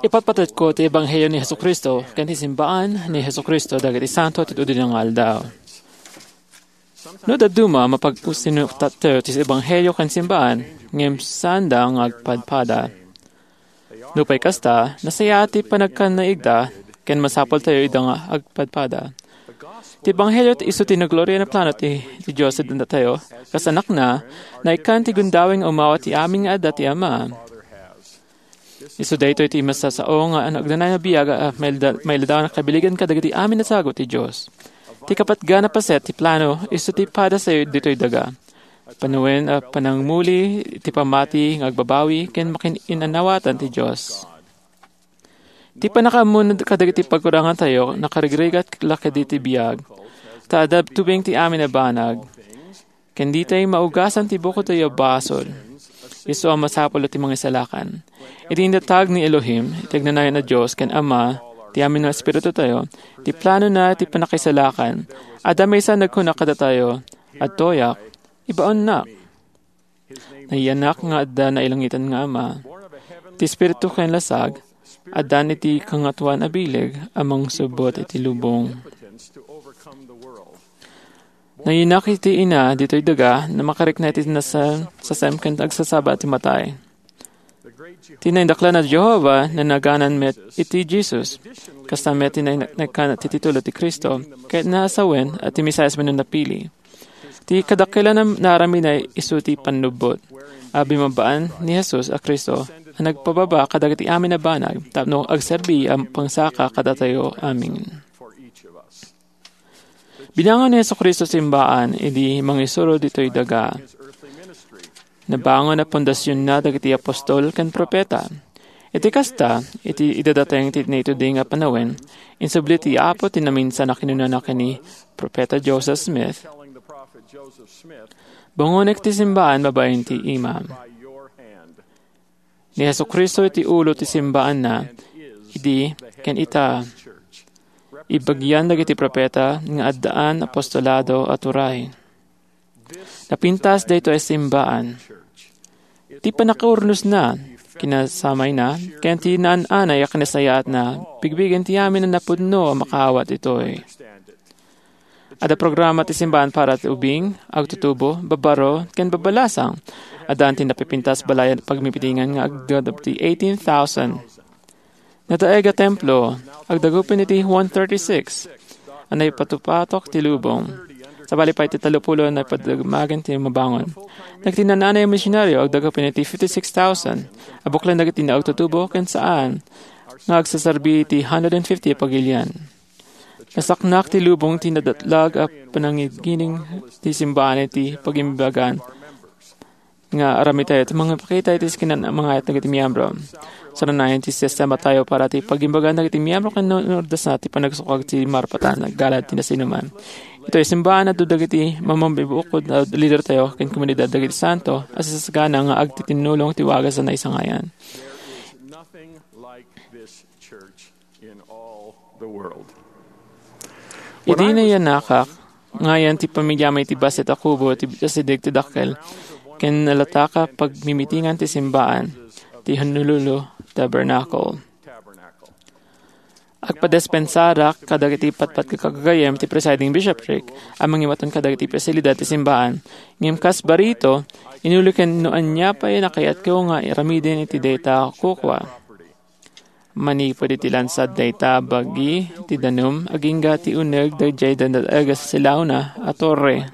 Ipatpatetko ti Ebanghelio ni Jesu-Cristo ken ti simbaan ni Jesu-Cristo dagiti santo ti udina nga aldaw. No dadduma, mapag-usinuktattayo ti ebanghelio ken simbaan, ngem saanda nga agpadpada. Nupay kasta, nasayaat ti panagkannaigda, ken masapultayo ida nga agpadpada. Ti ebanghelio ti isu ti naglorian a plano ti, ti Dios iti datayo, kas anakna, naikkan ti gundaway nga umawat ti amin nga adda ti Ama. Isu daytoy ti masasao nga agnanayon a biag a mailda-, mailadawan a kabiligan kadagiti amin a sagut ti Dios. Ti kapatgan a paset ti plano, isu ti padasayo ditoy daga. Panawen a panangmuli ti pammati nga agbabawi ken makin-inannawatan ti Dios. Ti pannakaammo kadagiti pagkurangantayo nakarigrigat la kadagiti biag, ta adda tubeng ti amin a banag. Ken ditay maugasan ti bukodtayo a basol. Isu a masapul ti mangisalakan. Iti indatag ni Elohim, ti agnanayon a Dios ken Ama, ti amin nga espiritutayo, ti planona ti pannakaisalakan. Adda maysa nagkuna kadatayo, "Adtoyak, ibaonnak." Nayanak nga adda nailangitan nga Ama. Ti Espiritu ken lasag, addan iti Kangatoan a Bileg a mangsubbot iti lubong. Nayanak iti ina ditoy daga, na makarikna iti nasa-, sasem ken agsasaba ti matay. Ti naindaklan a Jehovah, nanaganan met iti Jesus. Kasta met ti nainekkan ti titulo ti Cristo, ket naasawen a ti Mesias wenno napili. Ti kadakkelan a naaramidna isu ti pannubbot a bimmabaan ni Jesus a Cristo a nagpababa kadagiti amin a banag tapno agserbi a pangsaka kadatayo amin. Binangon ni Jesu-Cristo simbaan idi mangisuro ditoy daga. Nabangon a pundasionna dagiti apostol ken profeta. Iti kasta, iti idadateng ti naitudi nga panawen, insubli ti Apo ti naminsan a kinunana ken ni Profeta Joseph Smith, "Bungonek ti simbaan babaen ti imam." Ni Jesu-Cristo iti ulo ti simbaanna, idi ken ita, ibagian dagiti profeta nga addaan apostolado a turay. Napintas daytoy a simbaan. Ti pannakaurnosna, kinasamayna, ken ti naan-anay a kinasayaatna, bigbigen ti amin a napudno a makaawat ditoy. Adda programa ti simbahan para ti ubing, agtutubo, babbaro, ken babbalasang. Addan ti napipintas balay a pagmitingan nga agdadap ti eighteen thousand. Nadaeg a templo, agdagupen iti one thirty-six a naipatupatok ti lubong. Sabali pay ti tallopulo a naipadamagen ti mabangon. Dagiti naan-anay a misionaryo agdagupen iti fifty-six thousand a buklen dagiti naagtutubo ken saan nga agsaserbi iti hundred and fifty a pagilian. Nasaknak ti lubong ti nadatlag a panangigining ti simbahan iti pagimbagan nga aramidtayo ti mangipakita iti sikinan a mangayat dagiti miyembro. Saranayan ti sistema tayo para ti pagimbagan dagiti miyembro ken no-, nordasna ti panagsukag ti marpatan, naggalad ti nasinuman. Itoy simbahan, adda dagiti mamamibukod a lidertayo ken komunidad dagiti santo a sasagana nga agtitinnulong ti wagas a naisangayan. Nothing like this church in all the world. Idi nayanakak, ngayan ti pamiliami iti bassit a kubo ti asideg ti dakkel, ken nalatak a pagmimitingan ti simbaan ti Honolulu Tabernacle. Agpadispensarak kadagiti patpat ket gagayyem ti presiding bishopric a mangibaton kadagiti pasilidad ti simbaan. Ngem kas barito, inuli ken no ania pay a nakayatko nga aramiden iti dayta a kukua. Manipud iti lansad dayta a bagi ti danum, agingga ti uneg daydiay dadaag a silawna a torre.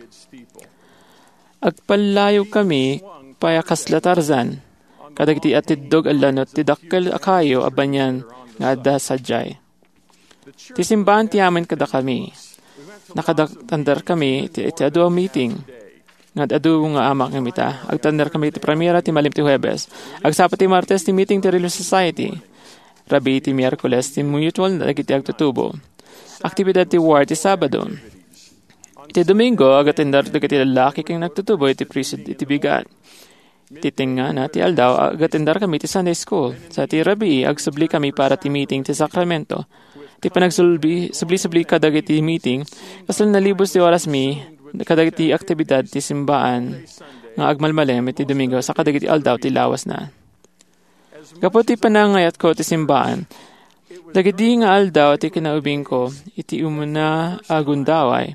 Agpallayogkami pay a kasla Tarzan kadagiti atiddog a lanut ti dakkel a kayo a banyan nga adda sadiay. Ti simbaan ti amin kadakami. Nakada-, tanderkami iti, iti adu a meeting. Nga adu nga amak ngem ita, agtanderkami iti primera ti malem ti Huebes. Agsapa ti Martes ti meeting ti Relief Society. Rabii ti Miyerkules ti mutual dagiti agtutubo. Aktibidad ti ward ti Sabado. Iti Domingo, agatender dagiti lallaki ken agtutubo iti priesthood iti bigat. Ti tengngana ti aldaw, agatender kami ti Sunday school. Sa ti rabii, agsubli kami para ti meeting ti sakramento. Ti panagsulbi-, subli-subli kadagiti meeting, kasla nalibos ti orasmi kadagiti aktibidad ti simbaan nga agmalmalem iti Domingo sa kadagiti aldaw ti lawasna. Gapu ti panangayatko ti simbaan, dagidi nga aldaw ti kinaubingko iti umuna a gundaway,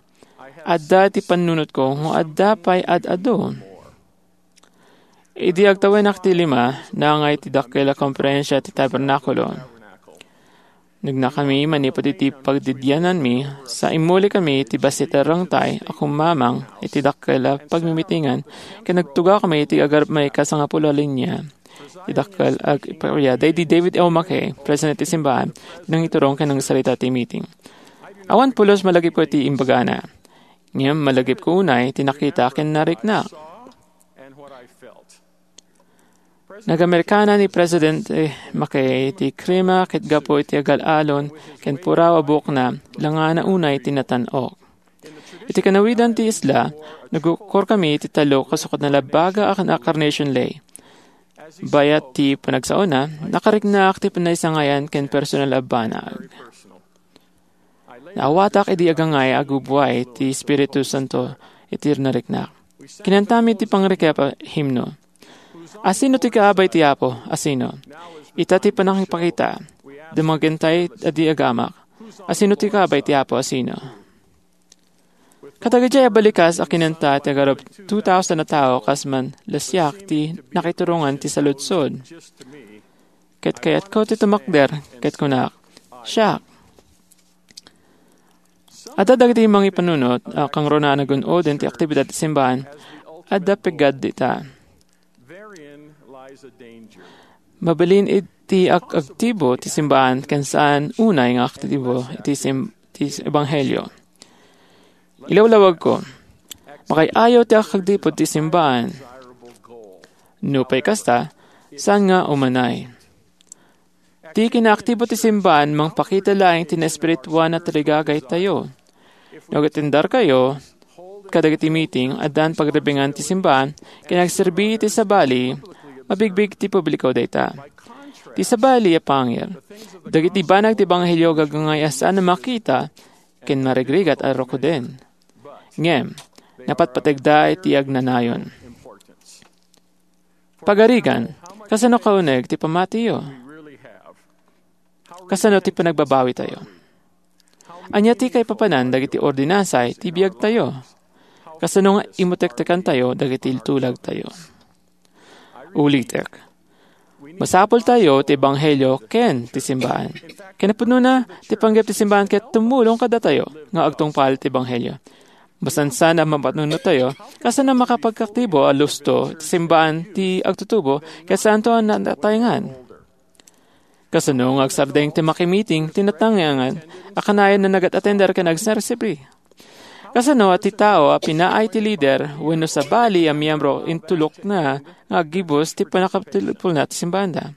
adda ti pannunotko nga adda pay ad-adu. Idi agtawenak ti lima, nangay ti dakkel a komperensia ti tabernakulo. Nagnakami manipud iti pagdidiananmi, sa immuli kami iti bassit a rengtay a kumamang iti dakkel a pagmimitingan, ken nagtugaw kami iti agarap may kasangapulo a linia. Ti dakkel a ag-, ipariada idi David O. McKay, President ti Simbaan, ti nangiturong ken nangsarita ti meeting. Awan pulos malagipko iti imbagana. Ngem malagipko unay ti nakita ken narikna. Nagamerikana ni Presidente McKay ti krima ket gapu iti agal-alon ken puraw a buokna, langana unay ti natan-ok. Iti kanawidan ti isla, nagukorkami iti tallo kasukad nalabbaga a Carnation Lay. Bayat ti panagsaona, nakariknaak ti panaisangayan ken personal a banag. Naawatak idi agangay a gubbuay ti Espiritu Santo iti nariknak. Kinantami ti pangrikep a himno. "Asino ti kaabay ti Apo? Asino?" Ita ti panangipakita. Dumagentay a di agamak. "Asino ti kaabay ti Apo? Asino?" Kadagiti a balikas a kinanta ti agarop two thousand a tao kas man la siak ti nakiturongan ti saludsod. Ket kayatko ti tumakder, ket kunak, "Siak." Adda dagiti mangipanunot a kangruna a nagun-oden ti aktibidad ti simbaan. Adda peggad dita. Mabalin iti ag-, agtibo ti simbaan ken saan unay nga aktibo iti sim-, ti ebanghelio. Ilawlawagko, makay-ayo ti agtipon ti simbaan. Nupay kasta, saan nga umanay? Ti kinaaktibo ti simbaan mangpakita laeng ti naespirituan a tarigagaytayo. No agatenderkayo kadagiti meeting, addan pagribingan ti simbaan ken agserbi iti sabali, mabigbig ti publiko dayta. Ti sabali a pangir, dagiti banag ti ebanghelio gagangay a saan a makita ken marigrigat a rukuden. Ngem, napatpategda iti agnanayon. Pagarigan, kasano kauneg ti pammatiyo? Kasano ti panagbabawitayo? Ania ti kaipapanan dagiti ordinansa iti biagtayo? Kasano nga imutektekantayo dagiti tulagtayo? Ulitek, masapultayo ti ebanghelio ken ti simbaan. Kinapudnona, ti panggep ti simbaan ket tumulong kadatayo nga agtungpal ti ebanghelio. Masansan a mapanunottayo, kasano makapagkaktibo a lusto ti simbaan ti agtutubo ket saanto a nataengan? Kasano nga agsardeng ti makimiting ti nataengan a kanayon a nagat-atender ken agserserbi? Kasano a ti tao a pinaay ti lider wenno sabali a miyembro intulokna nga aggibus ti pannakatulpolna ti simbaanda?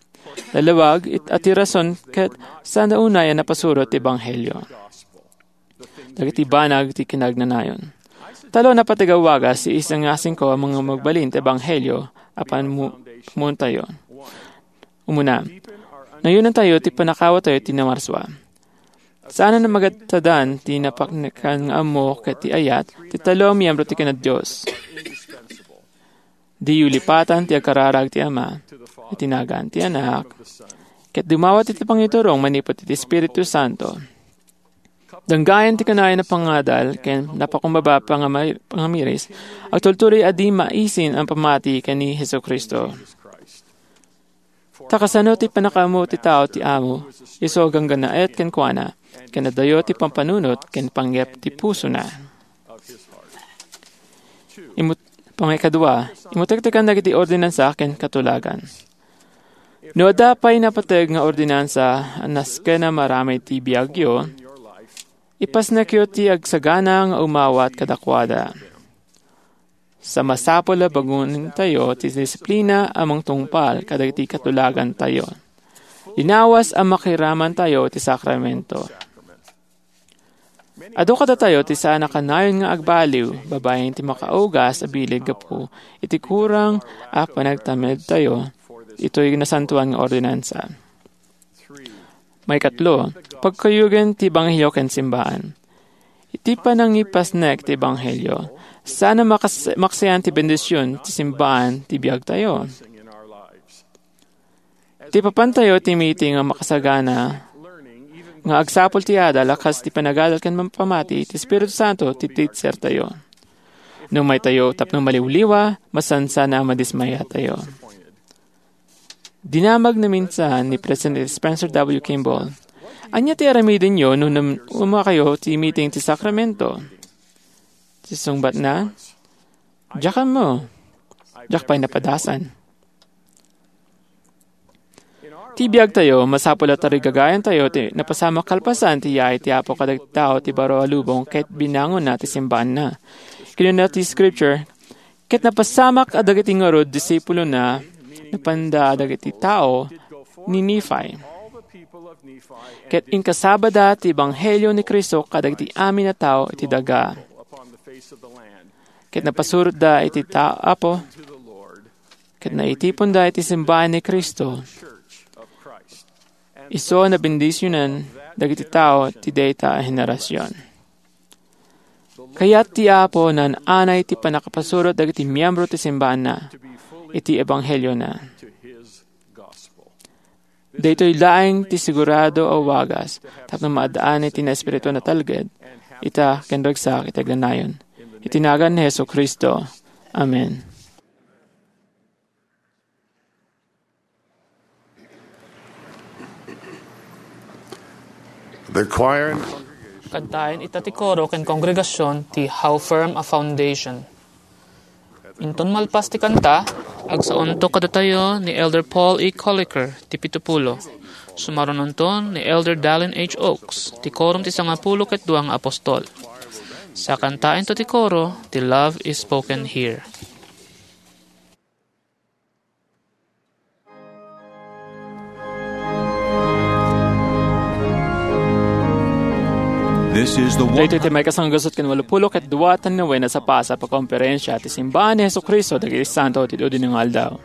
Nalawag it, a ti rason ket saan unay a napasuro ti ebanghelio. Dagiti banag ti kinagnanayon. Tallo a napateg a wagas, isu nga singko a mga magbalin ti ebanghelio a panmu-, pammuontayo. Umuna, nayonantayo ti pannakaawatayo ti namarsua. Saan a magadadan ti napaknekan nga ammo ket ti ayat ti tallo a miyembro ti kinadios. Diyo lipatan ti agkararag ti Ama, iti nagan ti Anak, ket dumawat iti pangiturong manipud iti Espiritu Santo. Danggayan ti kanayon a pangadal ken napakumbaba pangama-, pangamiris, agtultuloy a di maisin a pamati ken ni Jesu-Cristo. Ta kasano ti pannakaammo ti tao ti Amo, isu a ganggannaet kenkuana, ken adayo ti pampanunot ken panggep ti pusona? Imut-, pangaikadua, imutektekan dagiti ordinansa ken katulagan. No adda pay napateg nga ordinansa a nasken a maramid ti biagyo, ipasnekyo ti agsagana nga umawat kadakuada. Sa masapul a bagoentayo ti disiplina a mangtungpal kadagiti katulagantayo. Linawas a makiramantayo ti sakramento. Adu kadatayo ti saan a kanayon nga agbaliw babaen ti makaugas a bilin gapu iti kurang a panagtamedtayo itoy nasantoan nga ordinansa. Maikatlo, pagkuyogen ti ebanghelio ken simbaan. Iti panangipasnek ti ebanghelio, saan a makas-, maksian ti bendision ti simbaan ti biagtayo. Ti papantayo ti meeting a makasagana nga agsapul ti adal a kas ti panagadal ken pamati ti Espiritu Santo ti teachertayo. No maytayo tapno maliwliwa, masansan a madismayatayo. Dinamag naminsan ni President Spencer W. Kimball, "Ania ti aramidenyo no nam-, umakayo ti meeting ti sakramento?" Ti sungbatna, "Diak ammo. Diak pay napadasan." Ti biagtayo, masapul a tarigagayantayo ti napasamak kalpasan ti yaay ti Apo kadagiti tao ti baro a lubong ket binangonna ti simbaanna. Kinuna ti Scripture, "Ket napasamak a dagiti ngarud disipulona, napanda dagiti tao ni Nephi. Ket inkasabada ti ebanghelio ni Cristo kadagiti amin a tao iti daga. Ket napasurotda iti ta-, Apo, ket naitiponda iti simbahan ni Cristo. Isu a nabendisionan dagiti tao ti dayta a henerasion." Kayat ti Apo naan-anay ti pannakapasurot dagiti miembro ti simbaanna iti ebangheliona. Daytoy laeng ti sigurado a wagas tapno maad-an iti naespiritu a natalged, ita ken ragsak iti agnanayon. Iti nagan ni Jesu-Cristo. Amen. The choir and Kantaen ita ti koro ken kongregasion ti How Firm a Foundation. Inton malpas ti kanta, agsaonto kadatayo ni Elder Paul E. Colliker ti pitupulo. Sumarunonto ni Elder Dallin H. Oaks ti Korum ti Sangapulo ket Dua nga Apostol. Sakantaento ti koro ti Love is Spoken Here. This is the one Daytoy ti maikasanggagasut ken walupulo ket dua a nawen a sapasap a konferensia ti Simbahan ni Jesu-Cristo dagiti Santo ti Dudi nga Aldaw.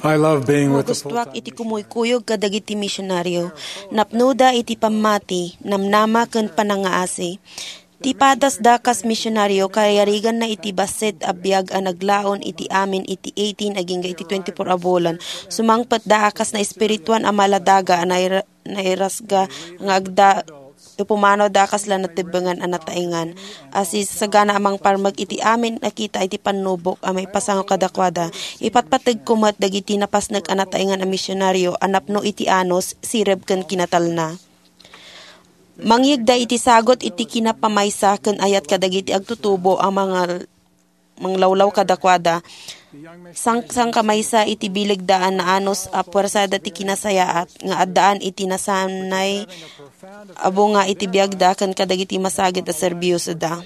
I love being with the full-time. Magustuak iti kumuykuyog kadagiti misionaryo. Napnoda iti pammati, namnama ken panangaasi. Ti padasda kas misionaryo, kayariganna iti bassit a biag a naglaon iti amin iti eighteen agingga iti twenty-four a bulan. Sumangpetda a kas naespirituan a maladaga a naira-, nairasga nga agda, ipumanawda a kasla natebbengan a nataengan. A sisagana a mangparmek iti amin a kita iti pannubok a maipasango kadakuada. Ipatpategko met dagiti napasnek a nataengan a misionaryo a napno iti anus, sireb ken kinatalna. Mangyegda iti sagut iti kinapamaysa ken ayat kadagiti agtutubo a mangal-, manglawlaw kadakuada. Sang-, sangkamaysa iti bilegda a naanus a puersada ti kinasayaat nga addaan iti nasanay a bunga iti biagda ken kadagiti masagid a serbiosoda.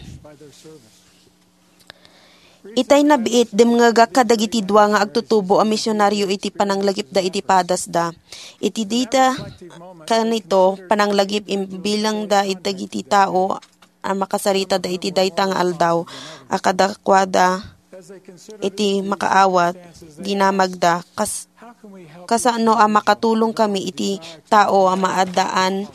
Itay nabiit, dimngegak kadagiti dua nga agtutubo a misionaryo iti pananglagipda iti padasda. Iti dita kanito pananglagip, imbilangda dagiti tao a makasaritada iti dayta nga aldaw a kadakuada iti makaawat, dinamagda, kas-, kasano a makatulong kami iti tao a maaddaan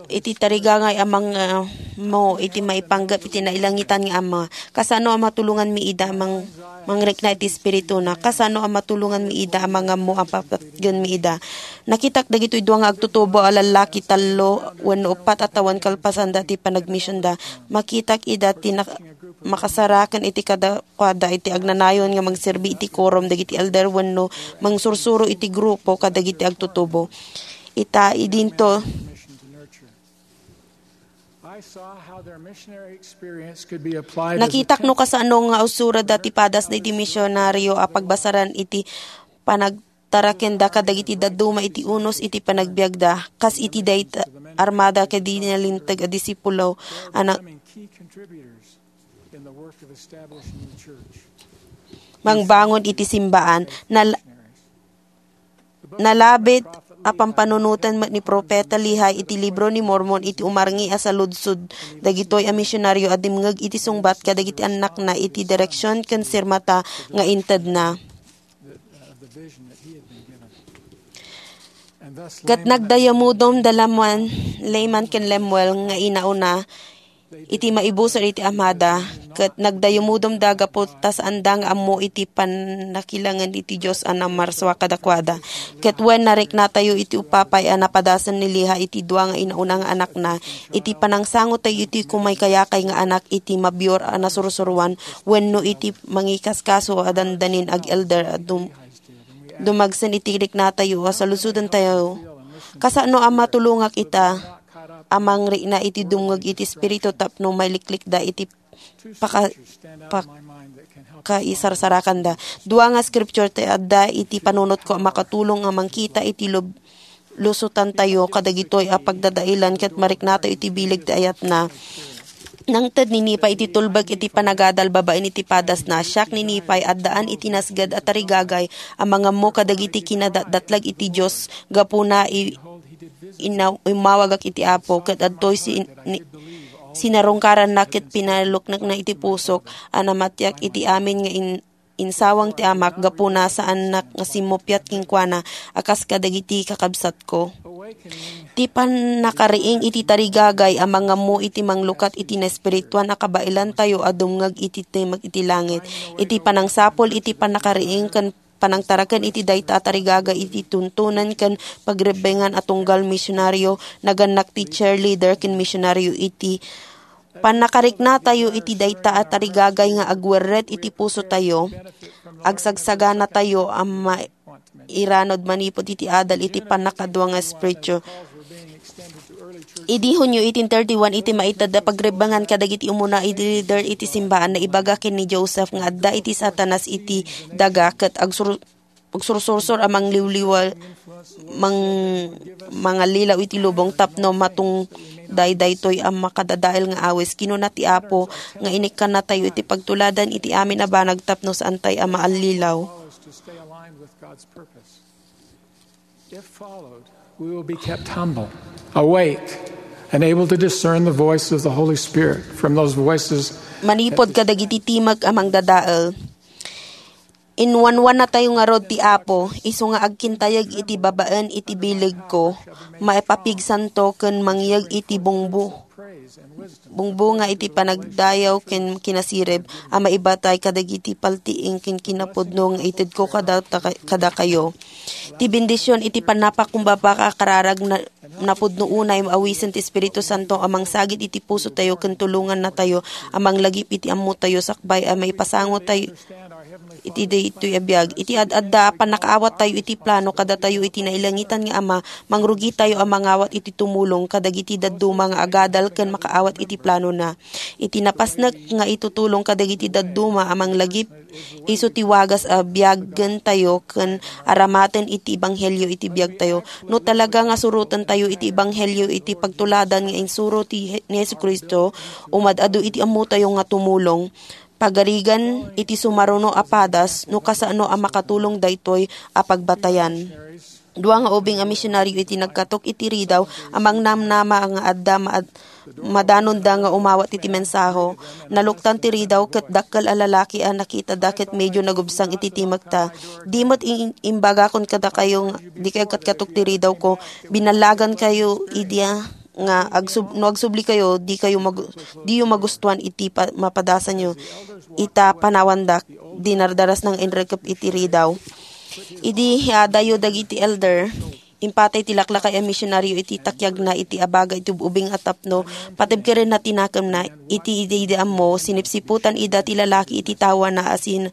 iti tarigagay a mangmmo iti maipanggep iti nailangitan nga Ama? Kasano a matulonganmi ida a mang-, mangrikna iti espirituna? Kasano a matulonganmi ida a mangammo a papatgenmi ida? Nakitak dagitoy dua nga agtutubo a lallaki, tallo wenno uppat a tawen kalpasanda ti panagmisionda. Makitak ida ti nak-, makasaraken iti kada-, kuada iti agnanayon nga mangserbi iti quorum dagiti elder wenno mangsursuro iti grupo kadagiti agtutubo. Ita, idinto, I saw how their missionary experience could be applied as a Nakitak no kasano nga usurada ti padasda iti misionaryo a pagbasaran iti panagtarakenda kadagiti dadduma iti unos iti panagbiagda, kas iti dayta armada ken di nalinteg a disipulo a na-, becoming key contributors in the work of establishing the church. Mangbangon iti simbaan. Nal-, nalabit a pampanunoten met ni Profeta Lehi iti Libro ni Mormon iti umarngi a saludsod dagitoy a misionaryo a dimngeg iti sungbat kadagiti annakna iti direksion ken sirmata nga intedna. Ket nagdayamudom da Laman, Laman ken Lemuel nga inauna iti maibusor iti amada, ket nagdayamudom da gapu ta saanda nga ammo iti pannakilangen iti Dios a namarsua kadakuada. Ket wen, nariknatayo iti upapay a napadasen ni Lehi iti dua nga inauna nga anakna, iti panangsangotayo iti kumaykayakay nga anak iti mabior a nasursuroan wenno iti mangikaskaso a dandanin ag-elder a dum-, dumagsen iti riknatayo a saludsodentayo. Kasano a matulongak ita a mangrikna iti dumngeg iti Espiritu tapno mailiklikda iti paka-, pakaisarsarakanda? Dua nga scripture ti adda iti panunotko a makatulong a mangkita iti lub-, lusotantayo kadagitoy a pagdadaelan ket mariknatayo iti bileg ti ayatna. Nangted ni Nephi iti tulbek iti panagadal babaen iti padasna. Siak ni Nephi, addaan iti nasged a tarigagay a mangammo kadagiti kinadatdatlag iti Dios. Gapuna, i-, inaw-, immawagak iti Apo, ket adtoy si-, ni-, sinarungkaranna ket pinaluknekna iti pusok a namatiak iti amin nga in-, insawang ti Amak. Gapuna, saannak nga simmupiat kenkuana a kas kadagiti kakabsatko. Ti pannakariing iti tarigagay a mangammo iti manglukat iti naespirituan a kabaelantayo a dumngeg iti timek iti langit. Iti panangsapul iti pannakariing ken panangtaraken iti dayta a tarigagay iti tuntunen ken pagrebbengan a tunggal misionaryo, nagannak ti cheerleader ken misionaryo iti pannakariknatayo iti dayta a tarigagay nga agwerret iti pusotayo, agsagsaganatayo a mairanod manipud iti adal iti pannakadua nga espiritu. Idi Hunyo eighteen thirty-one, iti maited a pagrebbengan kadagiti umuna a leader iti simbaan, naibaga ken ni Joseph nga adda iti Satanas iti daga ket agsur-, agsursursor a mangliwliwa-, mang-, mangallilaw iti lubong tapno matungday daytoy a makadadael nga awis. Kinuna ti Apo nga inikkannatayo iti pagtuladan iti amin a banag tapno saantay a maallilaw. If followed, we will be kept humble, awake, and able to discern the voice of the Holy Spirit from those voices. Manipud kadagiti timek a mangdadael. Inwanwanatayo ngarud ti Apo, isu nga agkintayeg iti babaen iti bilegko, maipapigsanto ken mangyeg iti bungbu-, bungbunga iti panagdayaw ken kinasirib a maibatay kadagiti paltiing ken kinapudno nga itedko kada-, kadakayo. Ti bendision iti pannapakumbaba a kararag na, napudno unay nga awisen ti Espiritu Santo a mangsagid iti pusotayo ken tulongannatayo a manglagip iti ammotayo sakbay a maipasangotayo iti daytoy a biag. Iti ad-adda a pannakaawattayo iti plano kadatayo iti nailangitan nga Ama, mangrugitayo a mangawat iti tumulong kadagiti dadduma nga agadal ken makaawat iti planona. Iti napasnek nga itutulong kadagiti dadduma a manglagip, isu ti wagas a biagentayo ken aramaten iti ebanghelio iti biagtayo. No talaga nga surotentayo iti ebanghelio iti pagtuladan nga insuro ti He-, ni Jesu-Cristo, umad-adu iti ammotayo nga tumulong. Pagarigan iti sumaruno a padas no kasano a makatulong daytoy a pagbatayan. Dua nga ubing a misionaryo iti nagkatok iti Ridao a mangnamnama nga adda maad-, madanonda nga umawat iti mensaho. Naluktan ti Ridao ket dakkel a lalaki a nakitada ket medyo nagubsang iti timekta. Di met in-, imbagakon kadakayo nga dikay agkatkatok ti Ridao ko. Binallagankayo idi nga agsub-, no agsublikayo, dikayo magu-, diyo magustuan iti pa-, mapadasanyo. Ita panawandak, dinardarasna nga inrekep iti Ridao. Idi hiadayo dagiti elder, impatay ti laklakay a misionaryo iti takyagna iti abaga iti ub-ubing a tapno, patibkerenna ti nakemna. Iti idi, idi ammo, sinipsiputan ida ti lalaki iti tawana a sin-,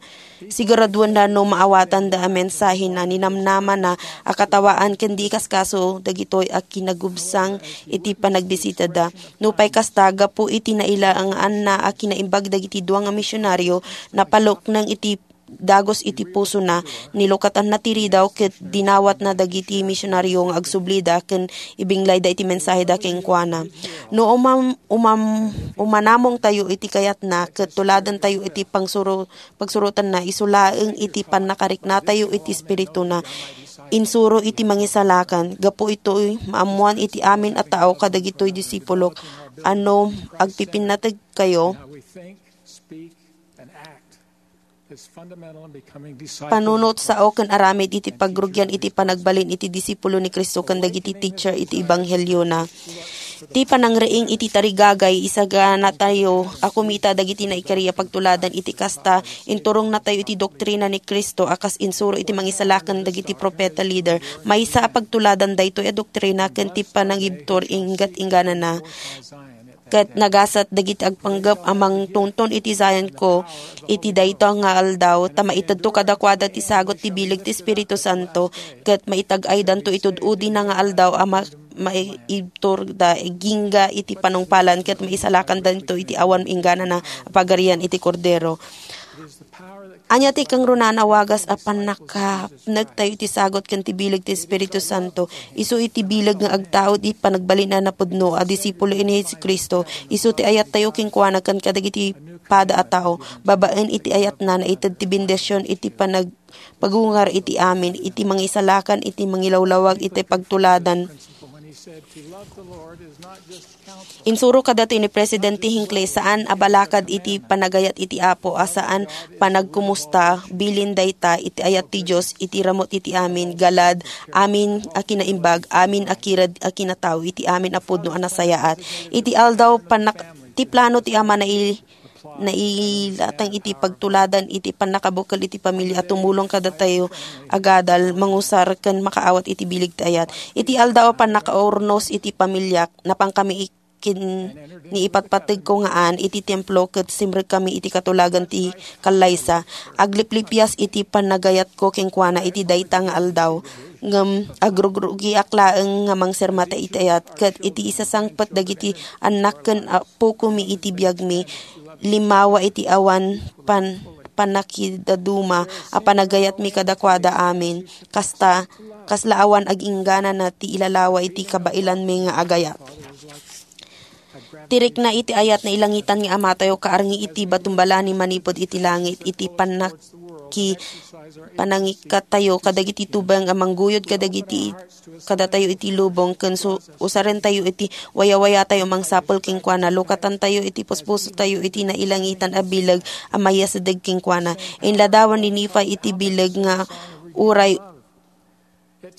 siguraduenna no maawatanda a mensahena, ninamnamana a katawaan ken di kaskaso dagitoy a kinagubsang iti panagbisitada. Nupay kasta, gapu iti nailanganna a kinaimbag dagiti dua nga misionaryo, napalukneng iti dagus iti pusona, nilukatanna ti Ridao ket dinawatna dagiti misionaryo nga agsublida ken ibinglayda iti mensaheda kenkuana. No umam-, umam-, umanamongtayo iti kayatna ket tuladentayo iti pangsuro-, pagsurotanna, isu laeng iti pannakariknatayo iti espirituna, insuro iti mangisalakan. Gapu itoy, maammoan iti amin a tao kadagitoy disipulok a no agpipinnategkayo, panunot, sao ken aramid iti pagrugian iti panagbalin iti disipulo ni Cristo ken dagiti teacher iti ebangheliona. Ti panangriing iti tarigagay, isaganatayo a kumita dagiti naikari a pagtuladan iti kasta, inturongnatayo iti doktrina ni Cristo a kas insuro iti mangisalakan dagiti profeta leader. Maysa a pagtuladan daytoy a doktrina ken ti panangibtur inggat-ingganana. Ket nagasat dagiti agpanggep a mangtunton iti Zion ko iti dayta nga aldaw, ta maitedto kadakuada ti sagut ti bileg ti Espiritu Santo, ket maitag-aydanto iti ud-udina nga aldaw a ma-, maibturda agingga iti panungpalan, ket maisalakandanto iti awan ingganana a pagarian iti Kordero. Ania ti kangrunaan a wagas a pannakapnektayo iti sagut ken ti bileg ti Espiritu Santo? Isu iti bileg nga agtaud iti panagbalin a napudno a disipulo ni Jesu-Cristo. Isu ti ayattayo kenkuana ken kadagiti pada a tao. Babaen iti ayatna, naited ti bendision iti panag-, pagungar iti amin, iti mangisalakan, iti mangilawlawag, iti pagtuladan. Insuro kadatoy ni Presidente Hinckley, saan a balakad iti panagayat iti Apo a saan panagkumusta, bilin dayta iti ayat ti Dios iti ramut iti amin, galad, amin a kinaimbag, amin a kired a kinatao, iti amin a pudno a nasayaat. Iti aldaw, panak-, ti plano ti Ama nai-, nailatang iti pagtuladan iti pannakabukel iti pamilya a tumulong kadatayo agadal, mangusar, ken makaawat iti bileg ti ayat. Iti aldaw a pannakaurnos iti pamilyak, napankami ken ni ipatpategko nga aan iti templo ket simrekami iti katulagan ti kallaysa. Agliplipias iti panagayatko kenkuana iti dayta nga aldaw. Ngem agrugrugiak laeng nga mangsermata iti ayat, ket iti isasangpet dagiti annak ken appokomi iti biagmi, limmawa iti awan pan-, pannakidaduma a panagayatmi kadakuada amin. Kasta, kasla awan agingganana ti ilalawa iti kabaelanmi nga agayat. Ti rikna iti ayat nailangitan nga Amatayo kaarngi iti batumbalani manipud iti langit, iti pannak-, ki panangikkattayo kadagiti tubeng a mangguyod kadagiti kadatayo iti lubong, ken su-, usarentayo iti wayawayatayo a mangsapul kenkuana. Lukatantayo iti puspusotayo iti nailangitan a bileg a mayasideg kenkuana. Inladawan ni Nephi iti bileg nga uray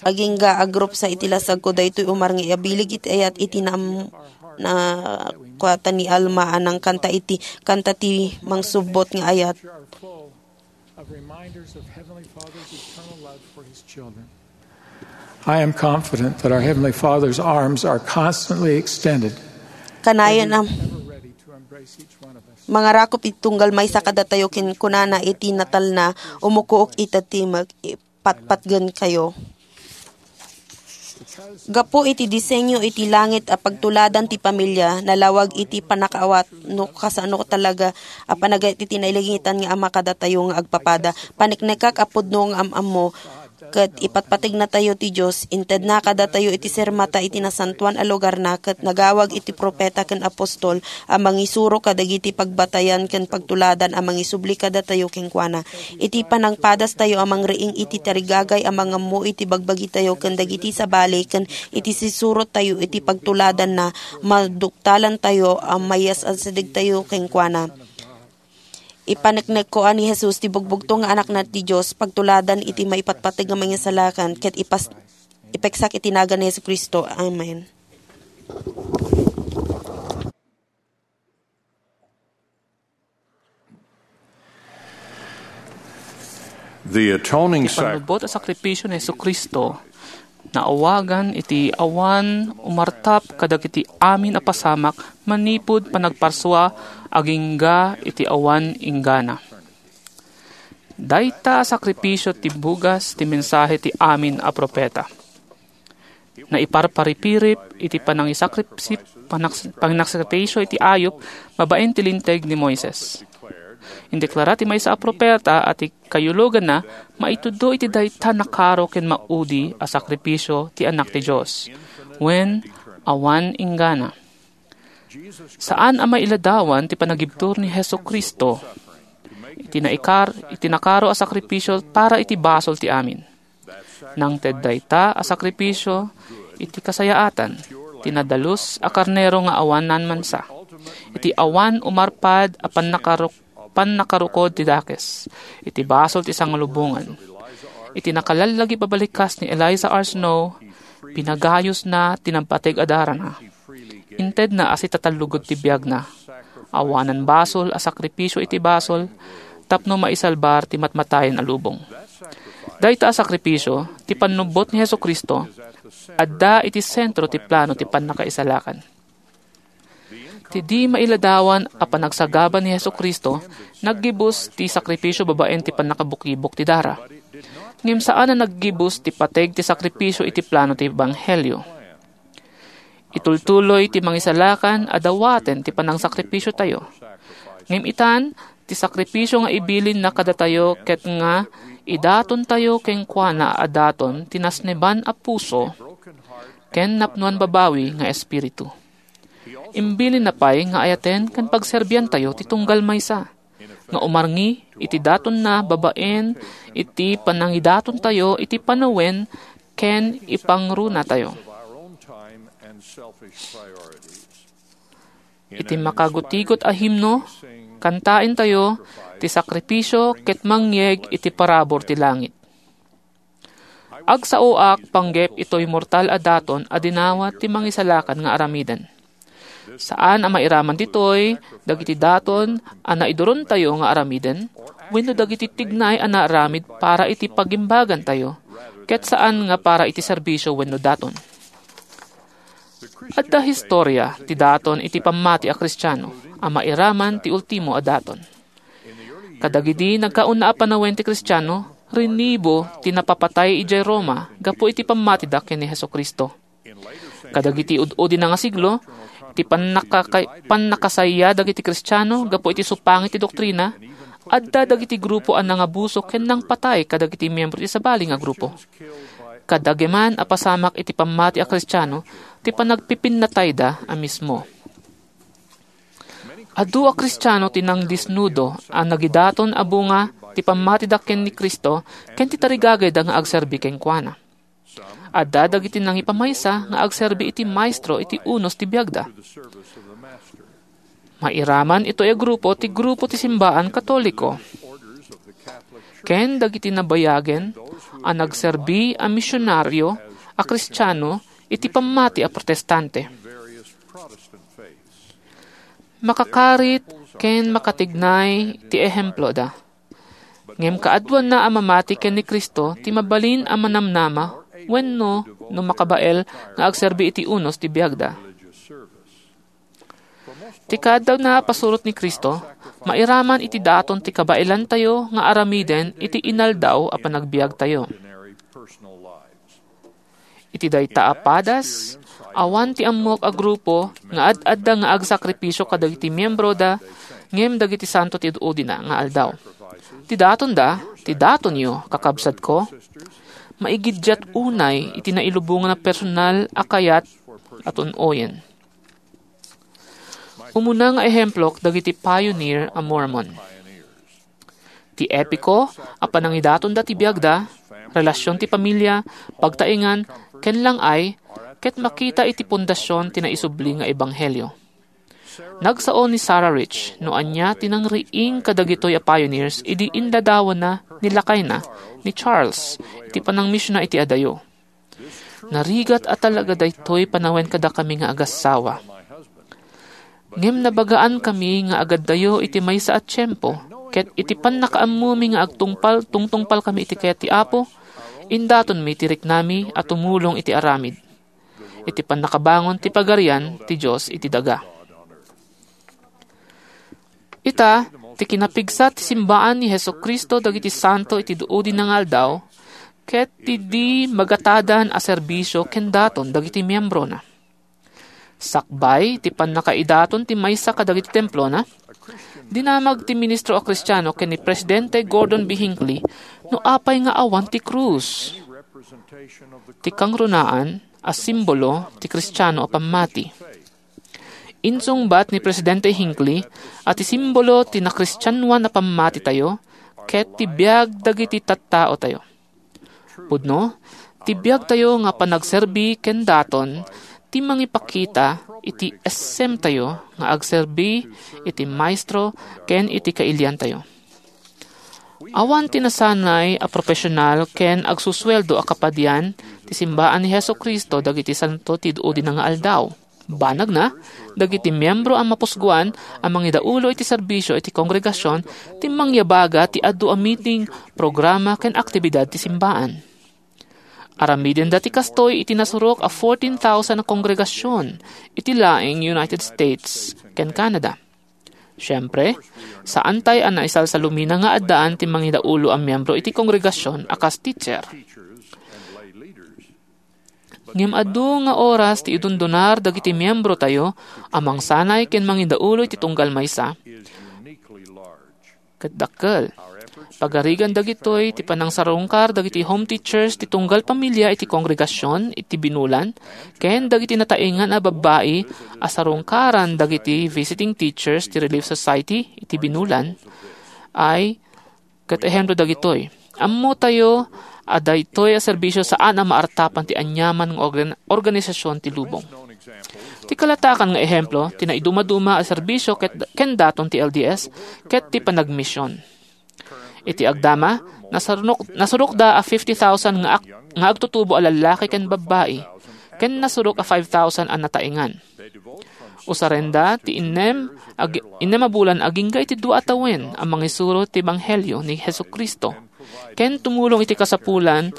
agingga a grupsa iti lasagko, daytoy umarngi a bileg iti ayat iti naam-, nakuatan ni Alma a nangkanta iti kanta ti mangsubbot nga ayat. Of reminders of Heavenly Father's eternal love for His children. I am confident that our Heavenly Father's arms are constantly extended, Kanayon a ever ready to embrace each one of us. Mangarakop iti tunggal maysa kadatayo ken kunana iti natalna, "Umukook ita ti mek-, ipatpatgen kayo." Gapu iti disenyo iti langit a pagtuladan ti pamilia, nalawag iti pannakaawat no kasano talaga a panagayat iti nailangitan nga Ama kadatayo nga agpapada. Paneknekak a pudno nga am-ammo ket ipatpategnatayo ti Dios, intedna kadatayo iti sirmata iti nasantoan a lugarna, ket nagawag iti profeta ken apostol a mangisuro kadagiti pagbatayan ken pagtuladan a mangisubli kadatayo kenkuana. Iti panangpadastayo a mangriing iti tarigagay a mangammo iti bagbagitayo ken dagiti sabali ken iti sisurottayo iti pagtuladanna, maduktalantayo a mayas-asidegtayo kenkuana. Ipaneknekko a ni Jesus ti bugbugtong nga Anakna ti Dios, pagtuladan iti maipatpateg nga mangisalakan, ket ipas-, ipeksak iti nagan ni Jesu-Cristo. Amen. The atoning Ti sac- pannubot a sakripisio ni Jesu-Cristo, naawagan iti awan umartap kadagiti amin a pasamak manipud panagparsua agingga iti awan inggana. Dayta a sakripisio ti bugas ti mensahe ti amin a profeta. Naiparparipirip iti panangisakripsip-, panaks-, panginakripisio iti ayup babaen ti Linteg ni Moises. Indeklara ti maysa a profeta a ti kayuloganna maitudlo iti dayta nakaro ken maudi a sakripisio ti Anak ti Dios, wen awan inggana. Saan a mailadawan ti panagibtur ni Jesu-Cristo iti naikar-, iti nakaro a sakripisio para iti basol ti amin. Nangted dayta a sakripisio iti kasayaatan ti nadalus a karnero nga awanan mansa, iti awan umarpad a pannakaru-, pannakarukod ti dakes, iti basol ti sangalubongan. Iti nakalallagi a pabalikas ni Eliza R. Snow, pinagayusna ti nagpateg a darana. Intedna a sitatallugod ti biagna. Awanan basol a sakripisio iti basol tapno maisalbar ti matmatayen a lubong. Dayta a sakripisio, ti pannubbot ni Jesu-Cristo, adda iti sentro ti plano ti pannakaisalakan. Ti di mailadawan a panagsagaba ni Jesu-Cristo, naggibus ti sakripisio babaen ti pannakabukibok ti dara. Ngem saan a naggibus ti pateg ti sakripisio iti plano ti ebanghelio. Itultuloy ti mangisalakan a dawaten ti panangsakripisiotayo. Ngem itan, ti sakripisio nga ibilinna kadatayo ket nga idatontayo kenkuana a daton ti nasneban a puso ken napnoan babawi nga espiritu. Imbilinna pay nga ayaten ken pagserbiantayo ti tunggal maysa nga umarngi iti datonna babaen iti panangidatontayo iti panawen ken ipangrunatayo. Iti makagutigot a himno, kantaentayo ti sakripisio ket mangyeg iti parabur ti langit. Agsaoak panggep itoy mortal a daton a dinawat ti mangisalakan nga aramiden. Saan a mairaman ditoy dagiti daton a naidurontayo nga aramiden wenno dagiti tignay a naaramid para iti pagimbagantayo, ket saan nga para iti serbisio wenno daton. Adda historia ti daton iti pammati a Kristiano a mairaman ti ultimo a daton. Kadagidi nagkauna a panawen ti Kristiano, rinibo ti napapatay idiay Roma gapu iti pammatida ken ni Jesu-Cristo. Kadagiti ud-udi na nga siglo, ti pannakaka-, pannakasaya dagiti Kristiano gapu iti supangit ti doktrina, adda dagiti grupo a nangabuso ken nangpatay kadagiti miyembro ti sabali nga grupo. Kadagiti man a pasamak iti pammati a Kristiano ti panagpipinnatayda a mismo. Adu a Kristiano ti nangdisnudo a nagidaton a bunga ti pammatida ken ni Cristo ken ti tarigagayda nga agserbi kenkuana. Adda dagiti nangipamaysa nga agserbi iti maestro iti unos ti biagda. Mairaman itoy a grupo ti grupo ti simbaan Katoliko ken dagiti nabayagen a nagserbi a misionario a Kristiano iti pammati a Protestante. Makakarit ken makatignay ti ehemploda. Ngem kaaduanna a mamati ken ni Cristo ti mabalin a manamnama wenno no makabael nga agserbi iti unos ti biagda. Ti kaadda a pasurot ni Cristo, mairaman iti daton ti kabaelantayo nga aramiden iti inaldaw a panagbiagtayo. Iti dayta a padas, awan ti ammok a grupo nga ad-adda nga agsakripisio kadagiti miembroda ngem dagiti santo ti ud-udina nga aldaw. Ti datonda, ti datonyo, kakabsatko, maigiddiat unay iti nailubongan a personal a kayat a tun-oyen. Umuna nga ehemplok dagiti pioneer a Mormon. Ti epiko a panangidatonda ti biagda, relasion ti pamilya, pagtaengan, ken lang-ay, ket makita iti pundasion ti naisubli nga ebanghelio. Nagsao ni Sarah Rich no ania ti nangriing kadagitoy a pioneers idi inladawanna ni lakayna, ni Charles, iti panangmisiona iti adayo. Narigat a talaga daytoy panawen kadakami nga agassawa. Ngem nabagaankami nga agaddayo iti maysa a tiempo, ket iti pannakaammomi nga agtungpal, tungtungpalkami iti kayat ti Apo, indatonmi ti riknami a tumulong iti aramid, iti pannakabangon ti Pagarian ti Dios iti daga. Ita, ti kinapigsa ti simbaan ni Jesu-Cristo dagiti santo iti duudi nga aldaw, ket ti di magatadan a serbisio ken daton dagiti miembrona. Sakbay ti pannakaidaton ti maysa kadagiti templona, dinamag ti ministro a Kristiano ken ni Presidente Gordon B. Hinckley no apay nga awan ti krus, ti kangrunaan a simbolo ti Kristiano a pammati. Insungbat ni Presidente Hinckley a ti simbolo ti nakristianoan a pammatitayo ket ti biag dagiti tattaotayo. Pudno, ti biagtayo nga panagserbi ken daton ti mangipakita iti essemtayo nga agserbi iti Maestro ken iti kailiantayo. Awan ti nasanay a profesional ken agsusueldo a kapadian ti simbaan ni Jesu-Cristo dagiti santo ti duudi nga aldaw. Banagna, dagiti miembro a mapusguan a mangidaulo iti serbisio iti kongregasion ti mangyabaga ti adu a meeting, programa, ken aktibidad ti simbaan. Aramidenda ti kastoy iti nasurok a fourteen thousand a kongregasion iti laeng United States ken Canada. Siempre, saantay a naisalsalumina nga addaan ti mangidaulo a miembro iti kongregasion a kas teacher. Ngem adu nga oras ti idundunar dagiti miembrotayo a mangsanay ken mangidaulo iti tunggal maysa ket dakkel. Pagarigan dagitoy ti panangsarungkar dagiti home teachers ti tunggal pamilia iti kongregasion iti binulan ken dagiti nataengan a babbai a sarungkaran dagiti visiting teachers ti Relief Society iti binulan ay ket ehemplo dagitoy. Ammotayo a daytoy a serbisio saan a maartapan ti aniaman nga organ-, organisasion ti lubong. Ti kalatakan nga ehemplo ti naidumaduma a serbisio ket, ken daton ti L D S ket ti panagmision. Iti agdama, nasarnok-, nasurokda a fifty thousand nga ak-, nga agtutubo a lallaki ken babbai, ken nasurok a five thousand a nataengan. Usarenda ti innem, ag-, innem a bulan agingga iti dua a tawen a mangisuro ti ebanghelio ni Jesu-Cristo, ken tumulong iti kasapulan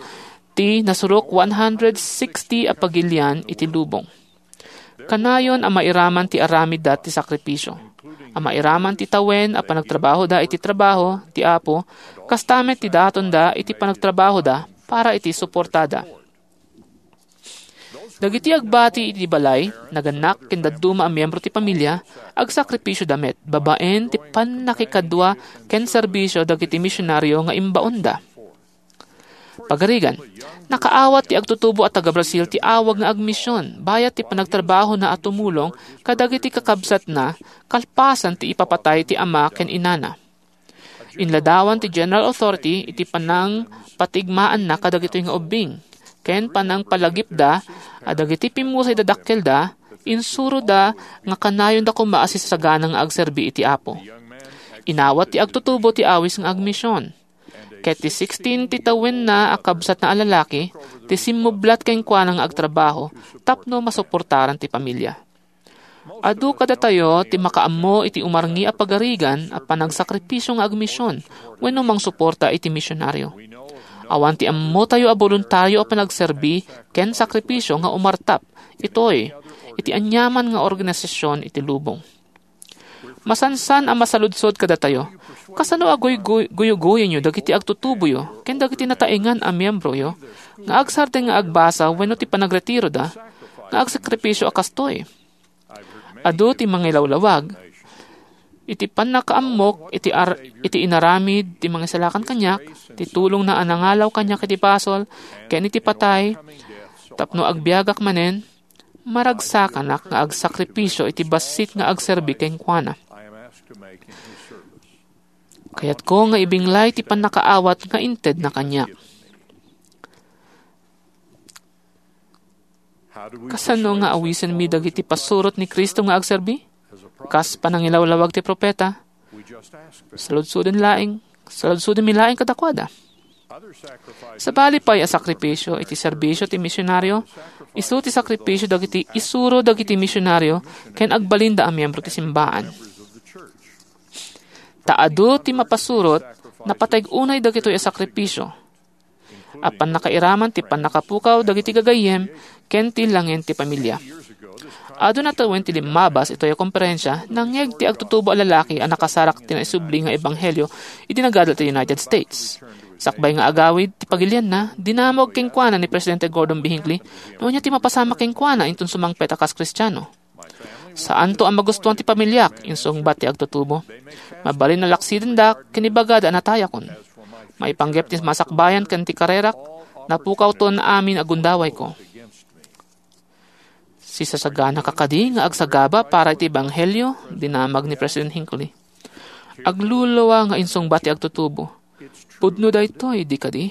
ti nasurok one hundred sixty a pagilian iti lubong. Kanayon a mairaman ti aramidda ti sakripisio, a mairaman ti tawen a panagtrabahoda iti trabaho ti Apo, kasta met ti datonda iti panagtrabahoda para iti suportada. Dagiti agbati iti balay, nagannak, ken dadduma a miembro ti pamilia, agsakripisioda met babaen ti pannakikadua ken serbisio dagiti misionario nga imbaonda. Pagarigan, nakaawat ti agtutubo a taga-Brazil ti awag nga agmision bayat ti panagtrabahona a tumulong kadagiti kakabsatna kalpasan ti ipapatay ti ama ken inana. Inladawan ti General Authority iti panangpatigmaanna kadagitoy nga ubbing ken panangpalagipda a dagiti pimmusay dadakkelda, insuroda nga kanayonda koma a sisasagana nga agserbi iti Apo. Inawat ti agtutubo ti awis nga agmision. Ket ti sixteen ti tawenna a kabsatna a lalaki ti simmublat kenkuana nga agtrabaho tapno masuportaran ti pamilia. Adu kadatayo ti makaammo iti umarngi a pagarigan a panagsakripisio nga agmision wenno mangsuporta iti misionario. Awan ti ammotayo a boluntario a panagserbi ken sakripisio nga umartap itoy iti aniaman nga organisasyon iti lubong. Masansan a masaludsod kadatayo, kasano a guyguy-, guyuguyenyo dagiti agtutuboyo ken dagiti nataengan a miembroyo nga agsardeng nga agbasa wenno ti panagretiroda nga agsakripisio a kastoy? Adu ti mangilawlawag iti pannakaammok iti ar-, iti inaramid ti mangisalakan kaniak, ti tulongna a nangalaw kaniak iti basol ken iti patay, tapno agbiagak manen, maragsakanak nga agsakripisio iti bassit nga agserbi kenkuana. Kayatko nga ibinglay ti pannakaawat nga intedna kaniak. Kasano nga awisenmi dagiti pasurot ni Cristo nga agserbi? Kas panangilawlawag ti propeta, saludsoden laeng, saludsodenmi laeng kadakuada. Sabali pay a sakripisio iti serbisio ti misionario, isu ti sakripisio dagiti isuro dagiti misionario ken agbalinda a miembro ti simbaan. Ta adu ti mapasurot, napateg unay dagitoy a sakripisio. A pannakairaman ti pannakapukaw dagiti gagayyem ken ti langen ti pamilia. Adu natawen ti limmabas itoy a komperensia, nangngeg ti agtutubo a lalaki a nakasarak ti naisubli nga ebanghelio idi nagada ti United States. Sakbay nga agawid ti pagilianna, dinamag kenkuana ni Presidente Gordon B. Hinckley no ania ti mapasamak kenkuana inton sumangpet a kas Kristiano. "Saanto a magustuan ti pamiliak," insungbat ti agtutubo. "Mabalin a laksidendak ken ibagada a natayakon. Maipanggep ti masakbayan ken ti karerak, napukawton amin a gundawayko." "Sisasaganaka kadi nga agsagaba para iti ebanghelio?" dinamag ni President Hinckley. Agluluwa nga insungbat ti agtutubo, "Pudno daytoy, di kadi?"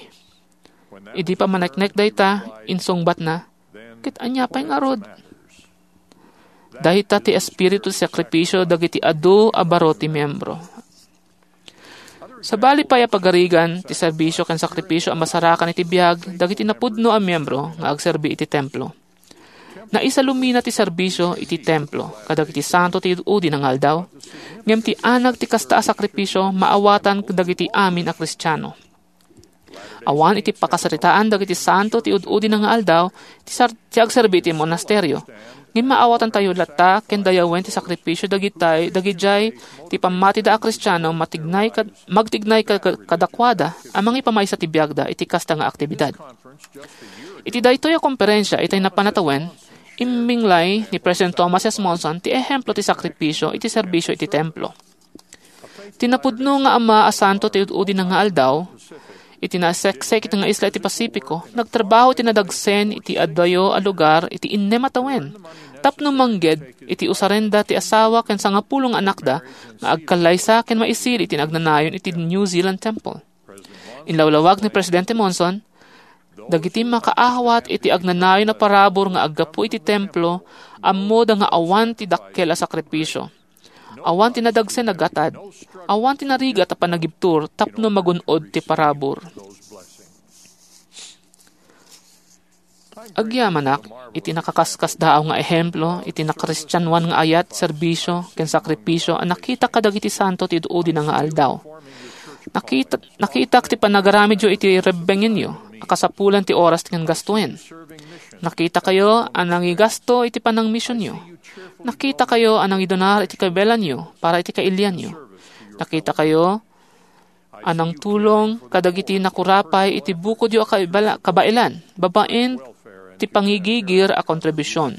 Idi pammaneknek dayta, insungbatna, "Ket ania pay ngarud?" Dayta ti espiritu ti sakripisio dagiti adu a baro ti miembro. Sabali pay a pagarigan ti serbisio ken sakripisio a masarakan iti biag dagiti napudno a miembro nga agserbi iti templo. Naisalumina ti serbisio iti templo kadagiti santo ti ud-udina nga aldaw, ngem ti anag ti kasta a sakripisio maawatan dagiti amin a Kristiano. Awan iti pakasaritaan dagiti santo ti ud-udina nga aldaw ti sar-, ti agserbi iti monasterio. Ngem maawatantayo latta ken dayawen ti sakripisio dagitay, dagidiay ti pammatida a Kristiano matignay kad-, magtignay ka-, ka-, kadakuada a mangipamaysa ti biagda iti kasta nga aktibidad. Iti daytoy a komperensia itay napan a tawen, imbinglay ni President Thomas S. Monson ti ehemplo ti sakripisio iti serbisio iti templo. Ti napudno nga ama a santo ti ud-udina nga aldaw, iti naseksek iti nga isla iti Pasifiko, nagtrabaho iti nadagsen iti adayo a lugar iti innem a tawen tapno mangged iti usarenda ti asawa ken sangapulo nga anakda nga agkallaysa ken maisili iti nagnanayon iti New Zealand Temple. Inlawlawag ni Presidente Monson, dagiti makaawat iti agnanayon a parabur nga aggapu iti templo, ammoda nga awan ti dakkel a sakripisio. Awan ti nadagsen a gatad. Awan ti narigat a panagibtur tapno magun-od ti parabur. Agyamanak iti nakaskasdaaw nga ehemplo iti nakristianoan nga ayat, serbisio, ken sakripisio a nakita kadagiti santo ti ud-udina nga aldaw. Nakita, nakitak ti panagaramidyo iti rebbengenyo a kasapulan ti oras ken gastoen. Nakitakayo a nangigasto iti panangmisionyo. Nakitakayo a nangidonar iti kabilanyo para iti kailianyo. Nakitakayo a nangtulong kadagiti nakurapay iti bukodyo a kaibala-, kabaelan babaen ti pangigigir a kontribusion.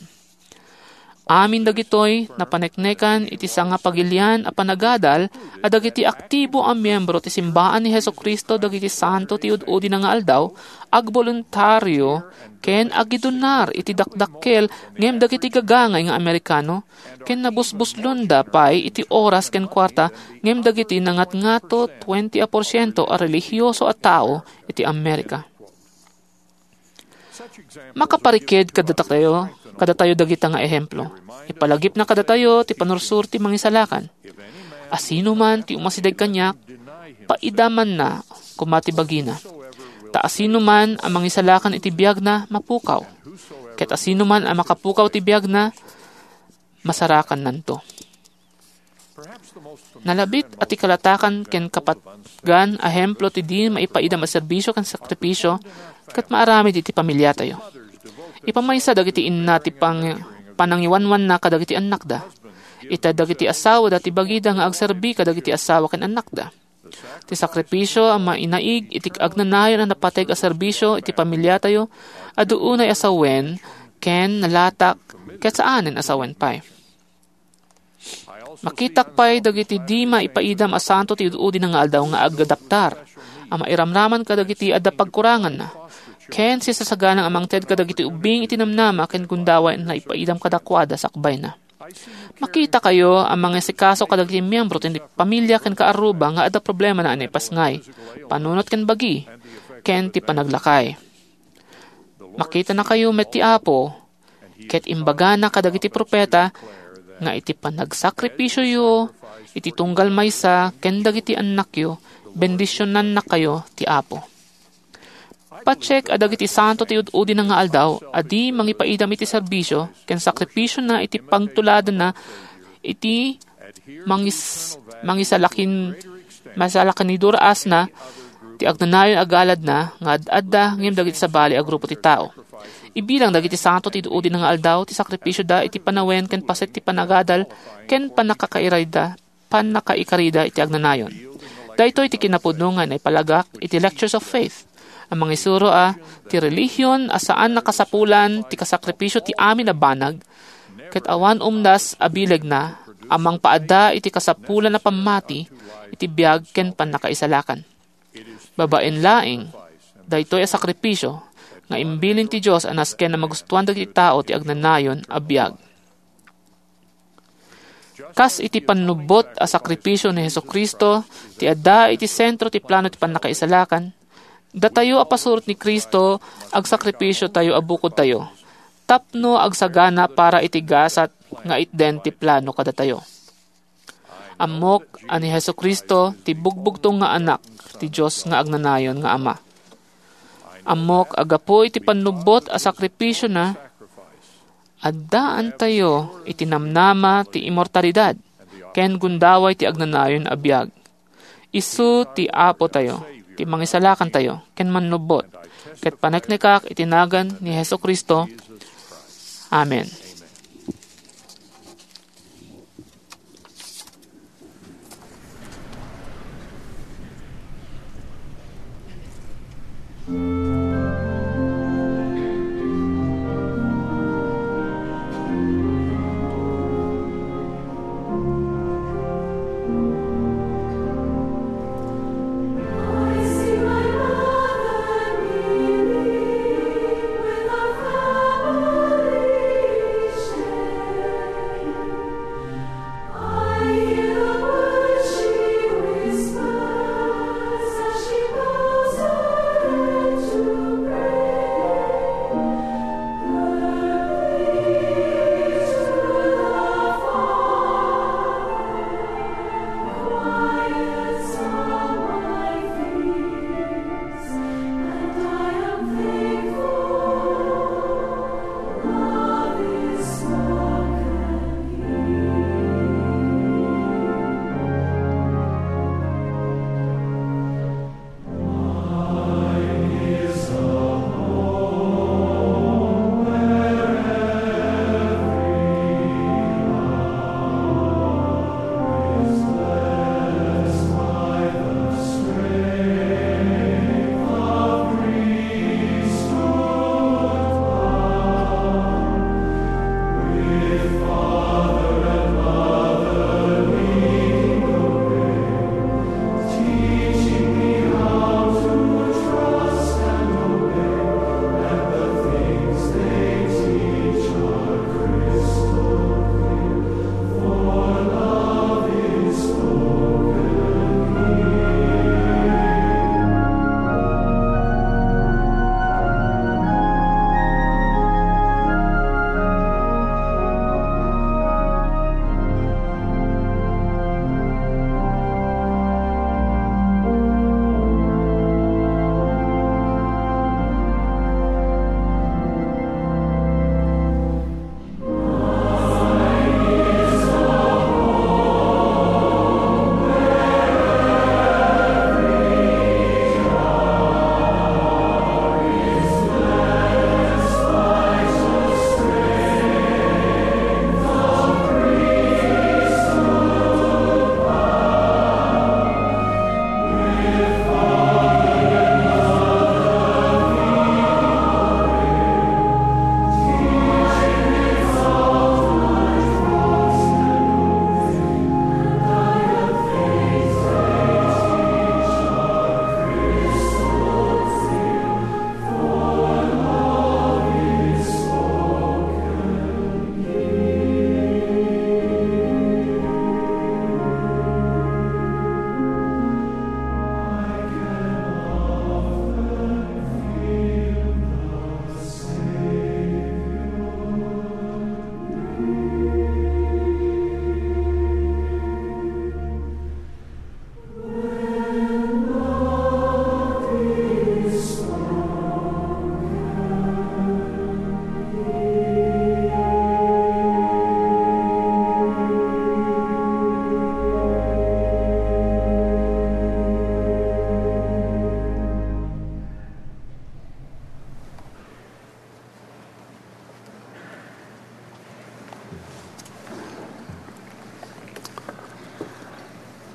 Amin dagitoy napaneknekan iti sangapagilian a panagadal a dagiti aktibo a miembro ti simbaan ni Jesu-Cristo dagiti Santo ti Ud-udina nga Aldaw agboluntario ken agidunar iti dakdakkel ngem dagiti gagangay nga Amerikano, ken nabusbuslonda pay iti oras ken kuarta ngem dagiti nangatngato twenty a porsiento a relihioso a tao iti Amerika. Makapariked kadatayo, kadatayo dagita nga ehemplo. Ipalagipna kadatayo ti panursuro ti Mangisalakan. Asinoman ti umasideg kaniak, paidamanna koma ti bagina. Ta asinoman a mangisalakan iti biagna, mapukaw. Ket asinoman a makapukaw ti biagna, masarakannanto. Nalabit a ti kalatakan ken kapatgan a ehemplo ti di maipaidam a serbisio ken sakripisio ket maaramid iti pamiliatayo. Ipamaysa dagiti inna ti pang-, panangiwanwanna kadagiti annakda. Ita dagiti asawada ti bagida nga agserbi kadagiti asawa ken annakda. Ti sakripisio a mainaig iti agnanayon a napateg a serbisio iti pamiliatayo, adu unay a sawen ken nalatak ket saanen a sawen pay. Makitak pay dagiti di maipaidam a santo ti ud-udina nga aldaw nga agadaptar, a mairamraman kadagiti adda pagkuranganna, ken sisasaganang a mangted kadagiti ubbing iti namnama ken gundaway a naipaidam kadakuada sakbayna. Makitakayo a mangisikaso kadagiti miyembro ti pamilya ken kaarruba nga adda problemana a naipasngay, panunot ken bagi, ken ti panaglakay. Makitanakayo met ti Apo, ket imbagana kadagiti profeta nga iti panagsakripisioyo iti tunggal maysa ken dagiti annakyo, bendisionannakayo ti Apo. Patiek a dagiti santo ti ud-udina nga aldaw a di mangipaidam iti serbisio ken sakripisiona iti pagtuladanna iti mangis-, mangisalakin-, masalakaniduraasna ti agnanayon a galadna nga ad-adda ngem dagiti sabali a grupo ti tao. Ibilang dagiti santo ti ud-udina nga aldaw ti sakripisioda iti panawen ken paset ti panagadal ken pannakakairayda, pannakaikarida iti agnanayon. Daytoy ti kinapudno nga naipalagak iti Lectures of Faith a mangisuro a ti relihion a saan a kasapulan ti kasakripisio ti amin a banag, ket awan umdas a bilegna a mangpaadda iti kasapulan a pammati iti biag ken pannakaisalakan. Babaen laeng daytoy a sakripisio nga imbilin ti Dios a nasken a magustuan dagiti tao ti agnanayon a biag. Kas iti pannubbot a sakripisio ni Jesu-Cristo ti adda iti sentro ti plano ti pannakaisalakan, datayo a pasurot ni Cristo, agsakripisiotayo a bukodtayo tapno agsagana para iti gasat nga itden ti plano kadatayo. Ammok a ni Jesu-Cristo ti bugbugtong nga Anak ti Dios nga agnanayon nga Ama. Ammok a gapu iti pannubbot a sakripisiona, addaantayo iti namnama ti immortalidad ken gundaway ti agnanayon a biag. Isu ti Apotayo, ti Mangisalakantayo, ken Mannubbot, ket paneknekak iti nagan ni Jesu-Cristo. Amen.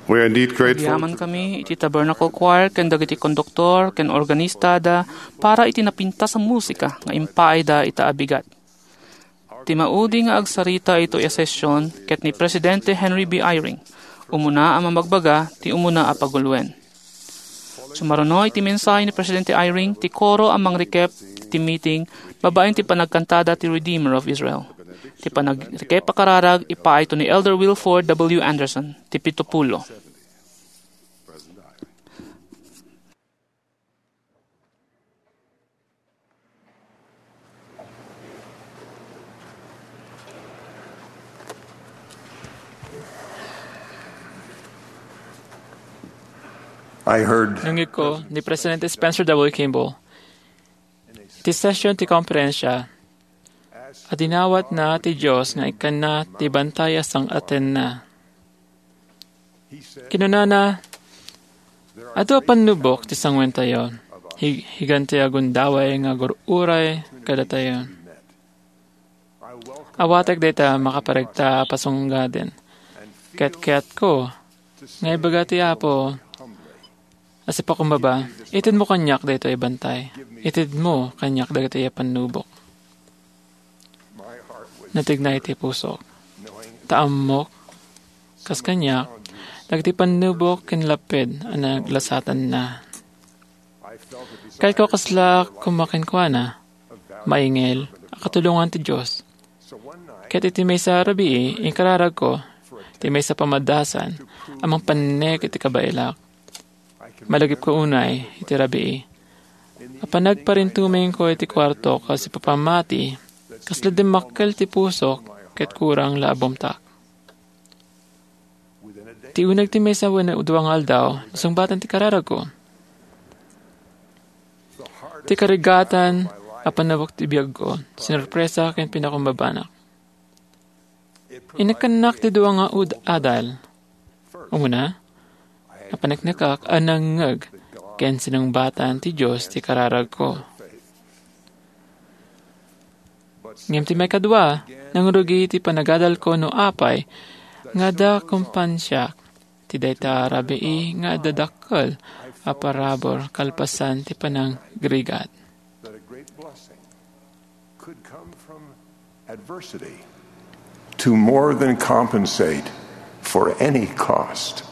We are indeed grateful. Agyaman kami iti Tabernacle Choir ken dagiti konduktor ken organistada para iti napintas a musika nga impaayda ita a bigat. Ti maudi nga agsarita itoy a session ket ni Presidente Henry B. Eyring, umuna a mamagbaga ti umuna a paguluen. Sumaruno iti mensahe ni Presidente Eyring ti koro a mangrikep ti meeting babaen ti panagkantada ti Redeemer of Israel. Ti panagrekep a kararag ipaayto ni Elder Wilford W. Anderson, ti pitupulo. I heard Nangngegko ni Presidente Spencer W. Kimball iti session ti konferensya a dinawatna ti Dios nga ikkanna ti bantay a sang-atenna. Kinunana, "Adu a pannubok ti sanguentayo. Hi-, higanti a gundaway nga agur-uray kadatayo. Awatek dayta makaparegta a pasunggaden. Ket kayatko nga ibaga ti Apo a sipakumbaba, itedmo kaniak daytoy a bantay. Itedmo kaniak dagitoy a pannubok." Natignay ti pusok. Ta ammok, kas kaniak, dagiti pannubok ken laped a naglasatanna. Kayatko kasla koma kenkuana, maingel a katulongan ti Dios. Ket iti maysa a rabii, inkararagko ti maysa a pamadasan a mangpannek iti kabaelak. Malagipko unay iti rabii a panagparintumengko iti kuarto kas ipapamati, kasla dimmakkel ti pusok ket kurang la a bumtak. Ti uneg ti maysa wenno dua nga aldaw, nasungbatan ti kararagko. Ti karigatan a pannubok ti biagko, sinorpresa ken pinakumbabanak. Inekkannak ti dua nga ud-adal. Umuna, napaneknekak a nangngeg ken sinungbatan ti Dios ti kararagko. Ngem ti maikadua, nangrugi ti panagadalko no apay nga adda kumpansiak ti dayta a rabii nga adda dakkel a parabur kalpasan ti panangrigat. That a great blessing could come from adversity. To more than compensate for any cost.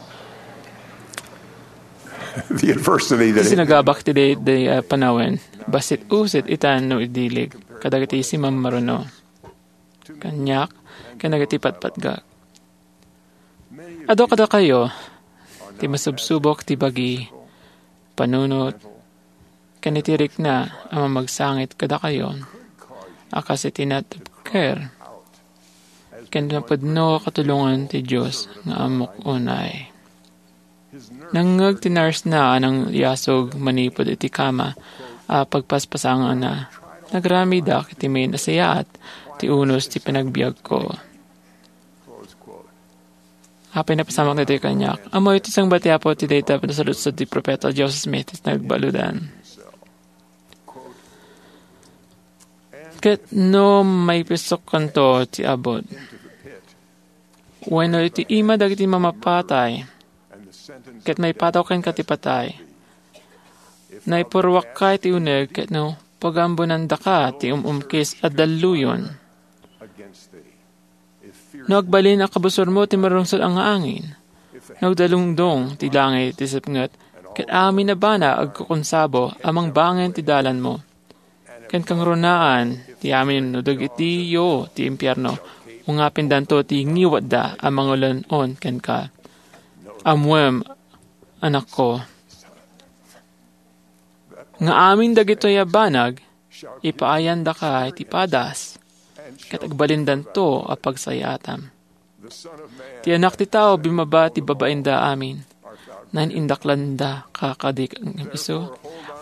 The adversity that Ti sinagabak ti daydiay a panawen, bassit usit ita no idilig kadagiti simammaruno kaniak ken dagiti patpatgak. Adu kadakayo ti masubsubok ti bagi, panunot, ken iti rikna a mamagsangit kadakayo a kas iti natupker ken napudno a katulongan ti Dios nga ammok unay. Nangngeg ti nurse-na a nangyasog manipud iti kama a pagpaspasanganna. Nagramidak iti main a sayaat ti unos ti panagbiagko. Apay, napasamak daytoy kaniak. Ammoyo ti sungbat ti Apo ti dayta a panasaludsod ti Profeta Joseph Smith iti nagbaludan. Ket no maipisokkanto ti abut, wenno iti ima dagiti mamapatay, ket maipataw kenka ti patay, naipuruakkay ti uneg ket no pagambonandaka ti um-umkis a dalluyon. No agbalin a kabusormo ti marungsot a nga angin, no agdalungdong ti langit ti sepnget, ket amin a banag agkukunsabo a mangbangen ti dalanmo, ken kangrunaan ti amin no dagitiyo ti impierno, ungapindanto ti ngiwatda a mangulan-on kenka. Ammoem, anakko, nga amin dagitoy a banag, ipaayandaka iti padas, ket agbalindanto a pagsayaatam. Ti Anak ti Tao bimmaba ti babainda amin. Nain-indaklanda ka kadi ngem isu.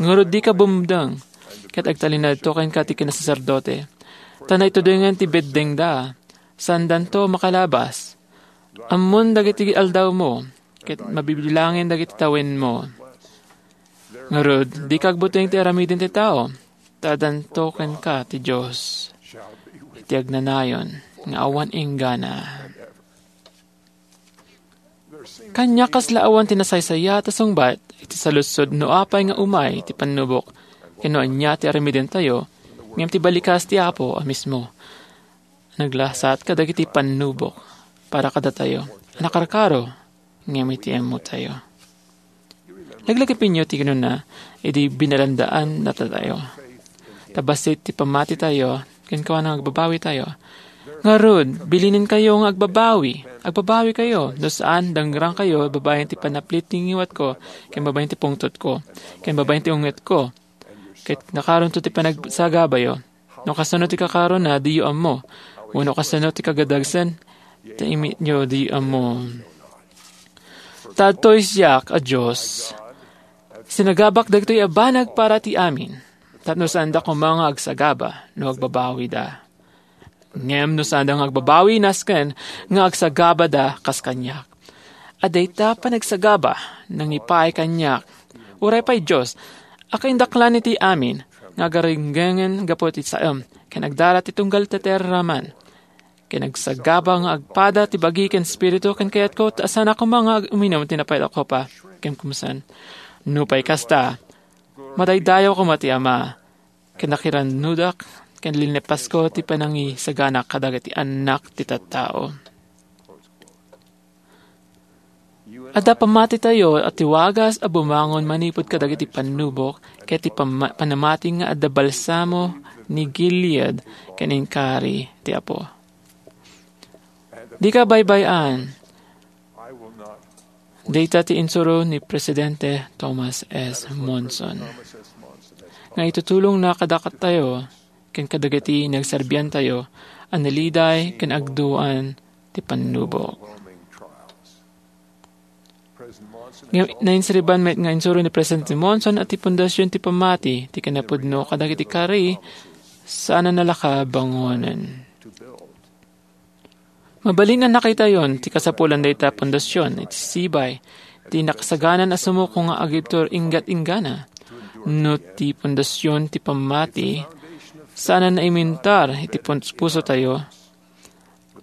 Ngarud, dika bumdeng, ket agtalinaedto kenka ti kinasaserdote, ta naitudengen ti beddengda. Saandanto makalabas. Ammon dagiti aldawmo, ket mabibilangen dagiti tawenmo. Ngarud, dika agbuteng ti aramiden ti tao, ta addanto kenka ti Dios iti agnanayon nga awan inggana. Kaniak, kasla awan ti nasaysayaat a sungbat iti saludsod no apay nga umay ti pannubok ken no ania ti aramidentayo, ngem ti balikas ti Apo a mismo. Naglasat kadagiti pannubok para kadatayo a nakarkaro ngem iti ammotayo. Laglagipenyo ti kinuna idi binalandaannatayo. Ta bassit ti pammatitayo, kenkuana nga agbabawitayo. Ngarud, bilinenkayo nga agbabawi. Agbabawikayo, no saan, dangrangkayo babaen ti panaplit ti ngiwatko, ken babaen ti pungtotko, ken babaen ti ungetko. Ket nakaronto ti panagsagabayo. No kasano ti kakarona, diyo ammo. Wenno kasano ti kagadagsen, ti imityo, diyo ammo. Ta adtoy siak a Dios, sinagabak dagitoy a banag para ti amin, tapno saanda koma nga agsagaba no agbabawida. Ngem no saanda nga agbabawi, nasken nga agsagabada kas kaniak. A dayta panagsagaba nangipaay kaniak. Uray pay, Dios, a kaindaklan iti amin nga agaringgengen gapu ti saem, ken agdara ti tunggal ti taraman. Ken agsagaba nga agpada ti bagi ken spiritu ken kayatko, ta saanak koma nga ag-, uminum ti napayat a kopa. Ken kumsan, nupay kasta, madaydayaw koma ti Ama, ken nakirannudak, ken linlepasko ti panangisagana kadagiti annak ti tattao. Adda pammatitayo a tiwagas a bumangon manipud kadagiti pannubok ket ti pamma-, panamati nga adda balsamo ni Gilead ken inkari ti Apo. Dika baybay-an. Dayta ti insuro ni Presidente Thomas S. Monson nga itutulongna kadatayo ken kadagiti nagserbiantayo a naliday ken agduan ti pannubok. Nga nainsiriban met nga insuro ni Presidente Monson a ti pundasyon ti pammati ti kinapudno kadagiti kari saan a nalakabangonen. Mabalin a nakitayon ti kasapulan dayta pundasyon iti sibay ti nakasaganan a sumuko nga agibtur inggat-inggana. No ti pundasyon ti pammati saan a naimintar iti pus-, pusotayo,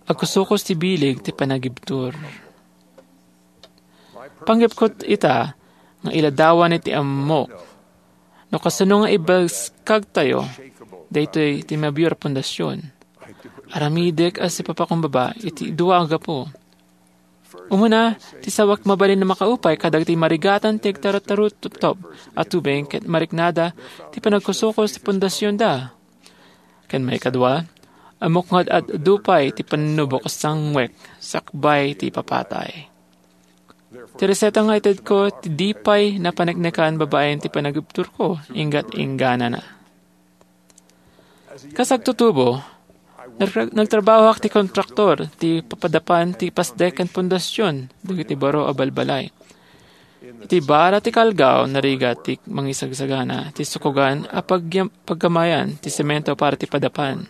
agkusukos ti bileg ti panagibtur. Panggepko ita nga iladawan iti ammok no kasano nga ibaskagtayo daytoy ti mabior a pundasyon. Aramidek a sipapakumbaba iti dua a gapu. Umuna, ti sawak mabalin a makaupay kadagiti marigatan ti agtartarutop a tubeng ket mariknada ti panagkusukos ti pundasionda. Ken maikadua, ammok nga ad-, adu pay ti pannubok a sangwek sakbay ti ipapatay. Ti reseta nga itedko ti di pay napaneknekan babaen ti panagibturko, inggat-ingganana. Kas agtutubo, nag-, nagtrabahoak ti kontraktor ti papadapan ti pasdek ken pundasyon dagiti baro a balbalay. Iti bara ti Calgao, narigat ti mangisagsagana ti sukogan a pagyam-, paggamayan ti semento para ti padapan.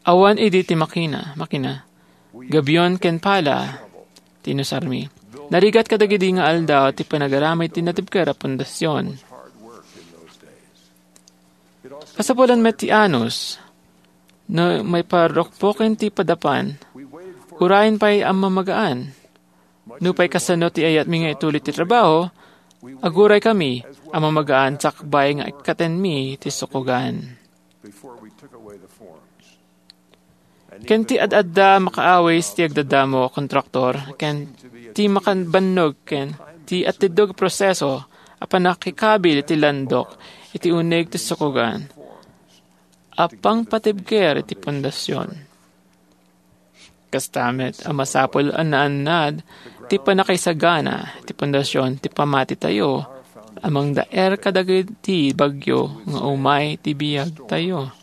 Awan idi ti makina, makina. Gabion ken pala ti inusarmi. Narigat kadagidi nga aldaw ti panagaramid ti natibker a pundasyon. Kasapulan met ti anus, no maiparrukpoken ti padapan, urayen pay a mamagaan. Nupay kasano ti ayatmi nga ituloy ti trabaho, aguray kami a mamagaan sakbay nga ikkatenmi ti sukogan. Ken ti ad-adda makaawis ti agdadamo a kontraktor ken ti makabannog ken ti atiddog a proseso a pannakikabil ti landok iti uneg ti sukogan a pangpatibker iti pundasyon. Kasta met a masapul a naannad ti pannakaisagana ti pundasyon ti pamatitayo a mangdaer kadagiti bagyo nga umay ti biagtayo.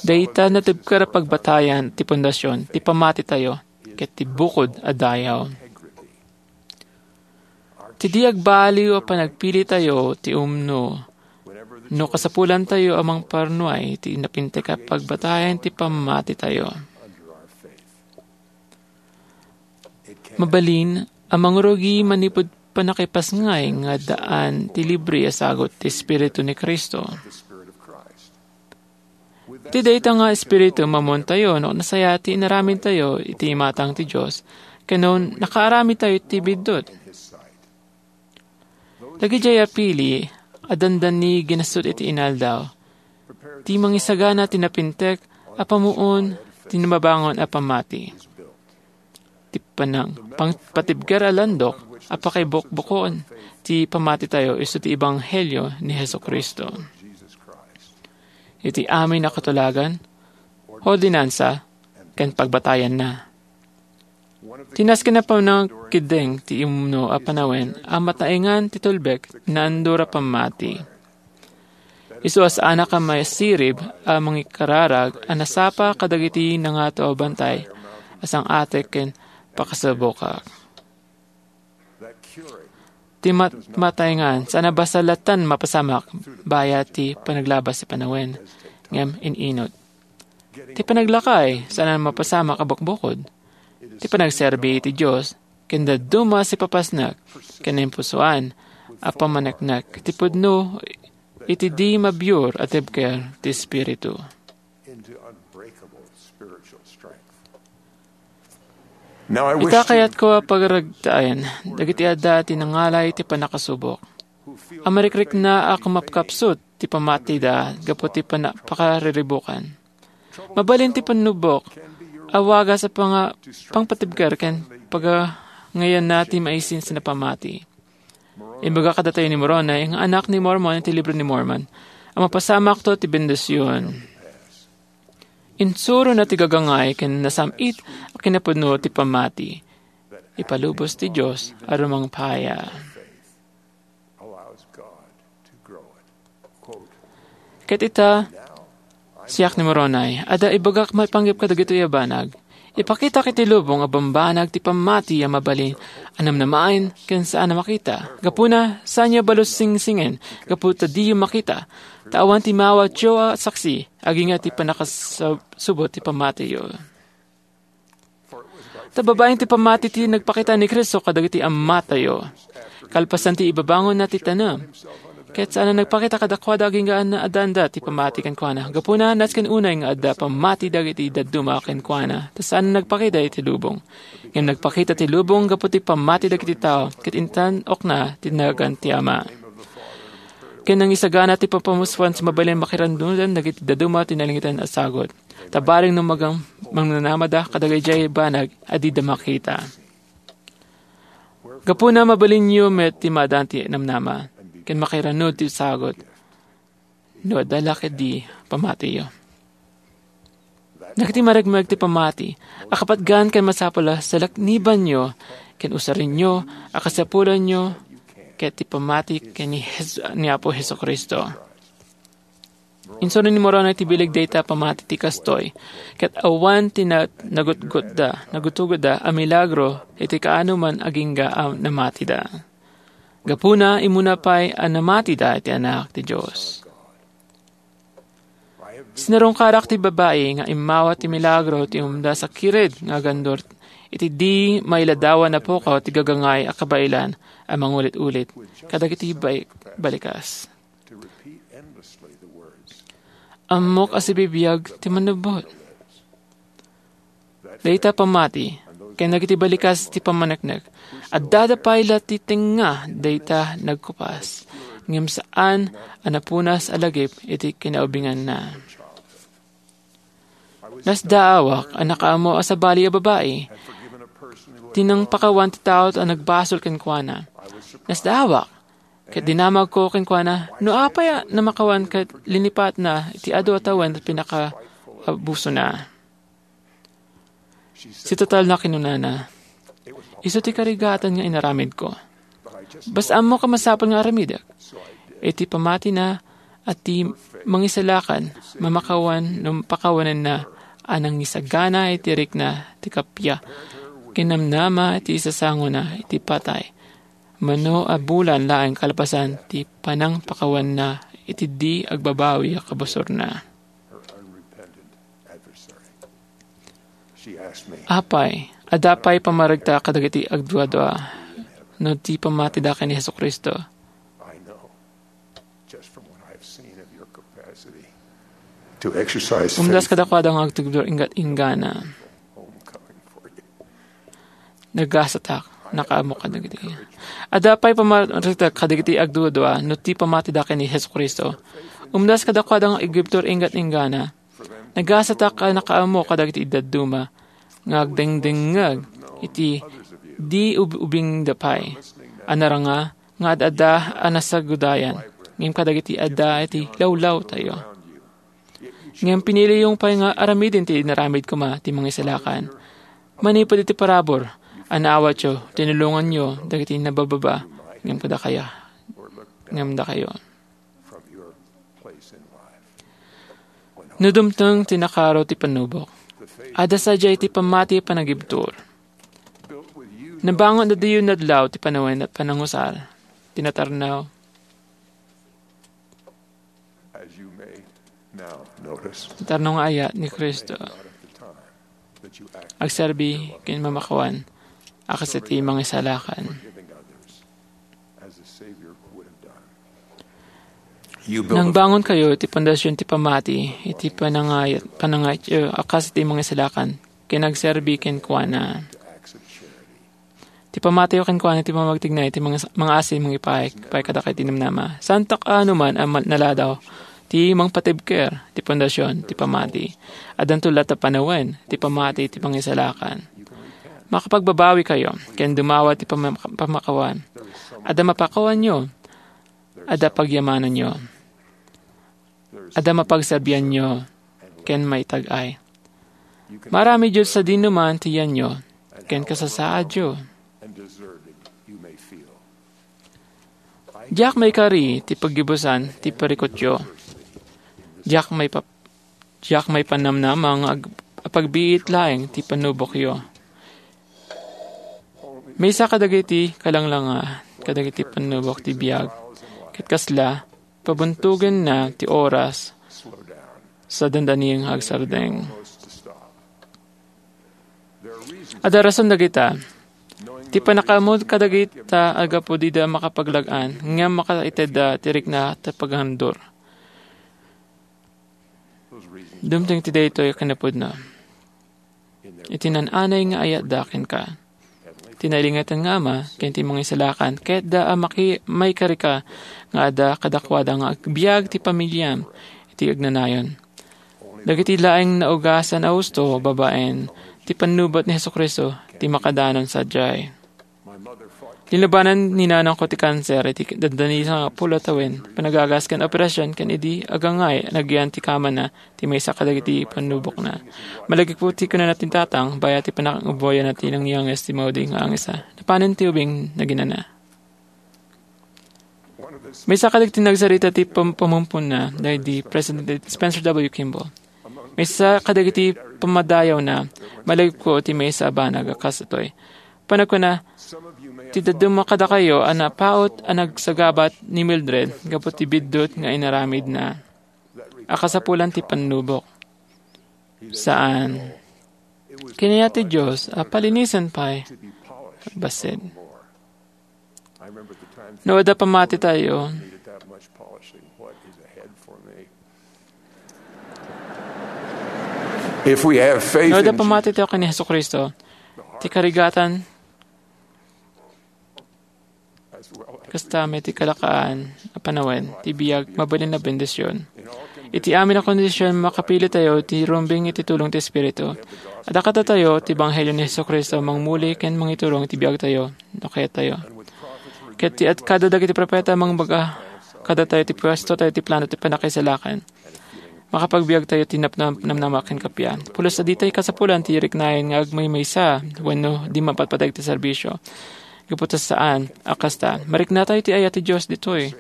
Dayta natibker a pagbatayan ti pundasyon ti pamatitayo ket ti bukod a dayaw. Ti di agbaliw a panagpilitayo ti umno, no kasapulantayo a mangparnuay ti napintek a pagbatayan ti pammatitayo. Mabalin a mangrugi manipud pannakipasngay nga addaan ti libre a sagut ti Espiritu ni Cristo. Ti dayta nga espiritu, mamuntayo no nasaya ti inaramidtayo iti imatang ti Dios, ken no nakaaramidtayo iti biddut. Dagidiay a pili a dandani ginasut iti inaldaw, ti mangisagana ti napintek a pamuon ti nababangon a pammati. Ti panang-, pang-, patibker a landok a pakaibukbukon ti pammatitayo isu ti ebanghelio ni Jesu-Cristo. Iti amin a katulagan, ordinansa, ken pagbatayanna. Ti nasken a panangkeddeng ti umno a panawen a mataengan ti tulbek ti naandur a pammati. Isu a saanak a masirib a mangikararag a nasapa kadagiti nangato a bantay a sang-atek ken pakasubokak. Ti mat-, mataengan, saan a bassit latta mapasamak bayat ti panaglabas ti panawen, ngem in-inut. Ti panaglakay, saan a mapasamak a bukbukod. Ti panagserbi iti Dios, ken dadduma a sipapasnek, ken naimpusoan a pammaneknek, ti pudno iti di mabiur a tibker ti Espiritu. Ita, kayatko a pagaragtaen dagiti adda ti nangalay ti pannakasubok, a marikrikna a kumapkapsut ti pammatida gapu ti pana-, pakariribukan. Mabalin ti pannubok a wagas a panga-, pangpatibker ken pagangayanna ti maisinsin a pammati. Ibaga kadatayo ni Moroni nga anak ni Mormon iti Libro ni Mormon, a mapasamakto ti bendision. Insurona ti gagangay ken nasam-it a kinapudno ti pammati. Ipalubos ti Dios a rumangpaya. Ket ita, siak ni Moroni, adda ibagak maipanggep kadagitoy a banag. Ipakitak iti lubong a bambanag ti pammati a mabalin a namnamaen ken saan a makita. Gapuna, saanyo a balusingsingen gapu ta diyo makita. Ta awan ti maawatyo a saksi, agingga ti pannakasubot ti pammatiyo. Ta babaen ti pammati ti nagpakita ni Cristo kadagiti ammatayo. Kalpasan ti ibabangonna ti tanem. Ket saan a nagpakita kadakuada agingga a naadanda ti pammati kenkuana. Gapuna, nasken unay nga adda pammati dagiti dadduma kenkuana, ta saan a nagpakita iti lubong. Ngem nagpakita ti lubong gapu ti pammati dagiti tao, ket intan-okna ti nagan ti Ama. Ken nangisagana ti papamuspuan sa mabalin makiranudan dagiti dadduma ti nalingitan a sagut. Ta bareng no magang-, mangnanamada kadagiti banag a dida makita. Gapuna, mabalinyo met ti maaddaan ti namnama, ken makiranud ti sagut, no adda la ketdi pammatiyo. Dagiti maragmag ti pammati a kapatgan ken masapul a salaknibanyo ken usarenyo a kasapulanyo ket ti pammati ken ni Jes-, ni Apo Jesu-Cristo. Insuronen ni Moroni ti bileg dayta a pammati ti kastoy, ket awan ti na-, nagutgotda, nagutgotda a milagro iti kaanoman agingga a namatida. Gapuna, immuna pay a namatida iti Anak ti Dios. Sinarungkarak ti babai nga immawat ti milagro ti umdas a kired nga agandor iti di mailadawan a pukaw ti gagangay a kabaelan a mangulit-ulit kadagiti bai-, balikas. Ammok a sibibiag ti mannubbot. Dayta pammati, ken dagiti balikas ti pammaneknek, addada pay la ti tengnga dayta nagkupas, ngem saan a napunas a lagip iti kinaubinganna. Nasdaawak a nakaammo a sabali a babai ti nangpakawan ti tao a nagbasol kenkuana. Nasdaawak ket dinamagko kenkuana no apay a namakawan ket linipatna iti adu a tawen a pinakaabusona. Sitatalna, kinunana, isu ti karigatan nga inaramidko. Basta ammok a masapul nga aramidek. Iti pammatina a ti mangisalakan, mamakawan no pakawanenna a nangisagana iti rikna ti kappia, kinamnama iti isasangona iti patay. Mano a bulan laeng kalpasan ti panangpakawanna iti di agbabawi a kabusorna. Apay, adda pay pammaregta kadagiti agduadua no ti pammatida ken ni Jesu-Cristo? Just from what I've seen of your capacity. to exercise Umdas faith. Kadakuada nga agtugdor inggat inggana. Nagasatak, nakaammo kadagiti. Adda pay pamaritak kadagiti agdudua no ti pamatida ken ni Jesu-Cristo. Umdas kadakuada nga agtugdor inggat inggana. Nagasatak a nakaammo kadagiti dadduma nga agdengdengngeg iti di ub-, ubingda pay a naranga nga ad-adda a nasagudayan, ngem kadagiti adda iti lawlawtayo. Ngem piniliyo pay nga aramiden ti inaramid koma ti mangisalakan. Manipud iti parabur a naawatyo, tinulonganyo dagiti nabababa, ngem kadakaya, ngem dakayo. No dumteng ti nakaro ti pannubok, adda sadiay ti pammati a panagibtur. Nabangon a diyo nadlaw ti panawen a panangusar, ti natarnaw. As you may now notice, Tarno nga aya ni Cristo. Not at the time that you act Agserbi ken mamakawan a kas iti mangisalakan. Forgiving others as the Savior would have done. You build a Nangbangon kayo iti pundasyon ti pamati, iti panangayat, panangayatyo a kas iti mangisalakan, ken agserbi kenkuana. Acts of charity. Ti pamatiyo kenkuana ti pamagtigna iti mga, mga asi mangipaay, pay kadakayo ti namnama. Saantak a numan a mal-, naladaw ti mangpatibker ti pundasyon ti pamati. Addanto latta panawen ti pamati ti pangisalakan. Makapagbabawi kayo ken dumawa ti pama-, pamakawan. Adda mapakawanyo, adda pagyamananyo. Adda mapagserbianyo ken maitag-ay. Maaramidyo sadi numan ti yanyo ken kasasaadyo. Diak maikari ti paggibusan ti parikutyo. Diak maipa-, diak maipannamnama nga ag-, apagbiit laeng ti pannubokyo. Maysa kadagiti kalanglanga kadagiti pannubok ti biag, ket kasla, pabuntogenna ti oras sa dandani nga agsardeng. Adda rason dagita. Ti pannakaammo kadagita a gapu dida makapaglag-an, ngem makaitedda ti rikna ti paghandor. Dumteng ti daytoy a kinapudno. Iti naan-anay nga ayatda kenka. Ti nailingetan nga Ama ken ti Mangisalakan, kayatda a maki-, maikarika nga adda kadakuada nga agbiag ti pamiliam iti agnanayon. Dagiti laeng naugasan a husto babaen ti pannubot ni Jesu-Cristo ti makadanon sadiay. Linlubanan ni nanangko ti kanser iti dandani sangapulo a tawen, panagagas ken operasion ken idi agangay, nagyan ti kamana ti maysa kadagiti pannubokna. Malagipko ti kunana ti tatang, bayat ti pananguboyana ti nangyangis ti maudi nga angisa. Napanen ti ubing, naginana. Maysa kadagiti nagsarita ti pam-, pamumpunna, daydi President Spencer W. Kimball. Maysa kadagiti pammadayawna, malagipko ti maysa a banag a kas daytoy. Panagkuna, ti dadduma kadakayo a napaut a nagsagabat ni Mildred gapu ti biddut nga inaramidna a kasapulan ti pannubok. Saan. Kinayat ti Dios a palinisen pay. Bassit. No adda pamatitayo, If we have faith no adda in Jesus, pamatitayo ken ni Jesu-Cristo, ti karigatan, kasta met ti kalakaan a panawen, ti biag, mabalin a bendision. Iti amin a kondisyon, makapilitayo ti rumbeng iti tulong ti Espiritu. Adda kadatayo ti ebanghelio ni Jesu-Cristo, mangmuli ken mangiturong iti biagtayo, no kayattayo. Ket ti ad-, kada dagiti propeta, mangbaga kadatayo ti puesto tayo ti plano ti pannakaisalakan. Makapagbiag tayo ti napnam-, namnama ken kappia. Pulos a ditay kasapulan ti riknaen nga agmaymaysa wenno di mapatpateg ti serbisyo. Gapu ta saan a kasta, marikna tayo ti ayat ti Dios ditoy.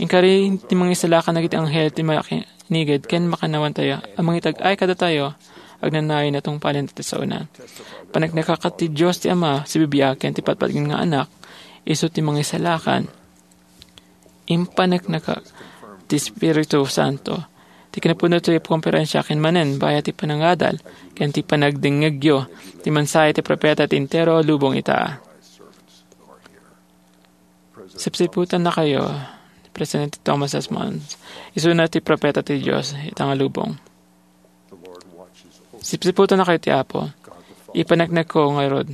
Inkari ti mangisalakan dagiti anghel ti makiniged ken makannawan tayo a mangitag-ay kadatayo agnanayon a tungpalen ti saona. Paneknekaka ti Dios ti Ama, sibibiag ken ti patpatgen nga Anak, isu ti mangisalakan. Impaneknekak ti Espiritu Santo. Ti kinapudno ti konferensia ken manen, bayat ti panangadal ken ti panagdengngegyo ti mensahe ti propeta ti entero a lubong ita. Sipsiputannakayo, Presidente Thomas S. Monson. Isuna ti propeta ti Dios ita nga lubong. Sipsiputennakayo ti Apo. Ipaneknekko ngarud.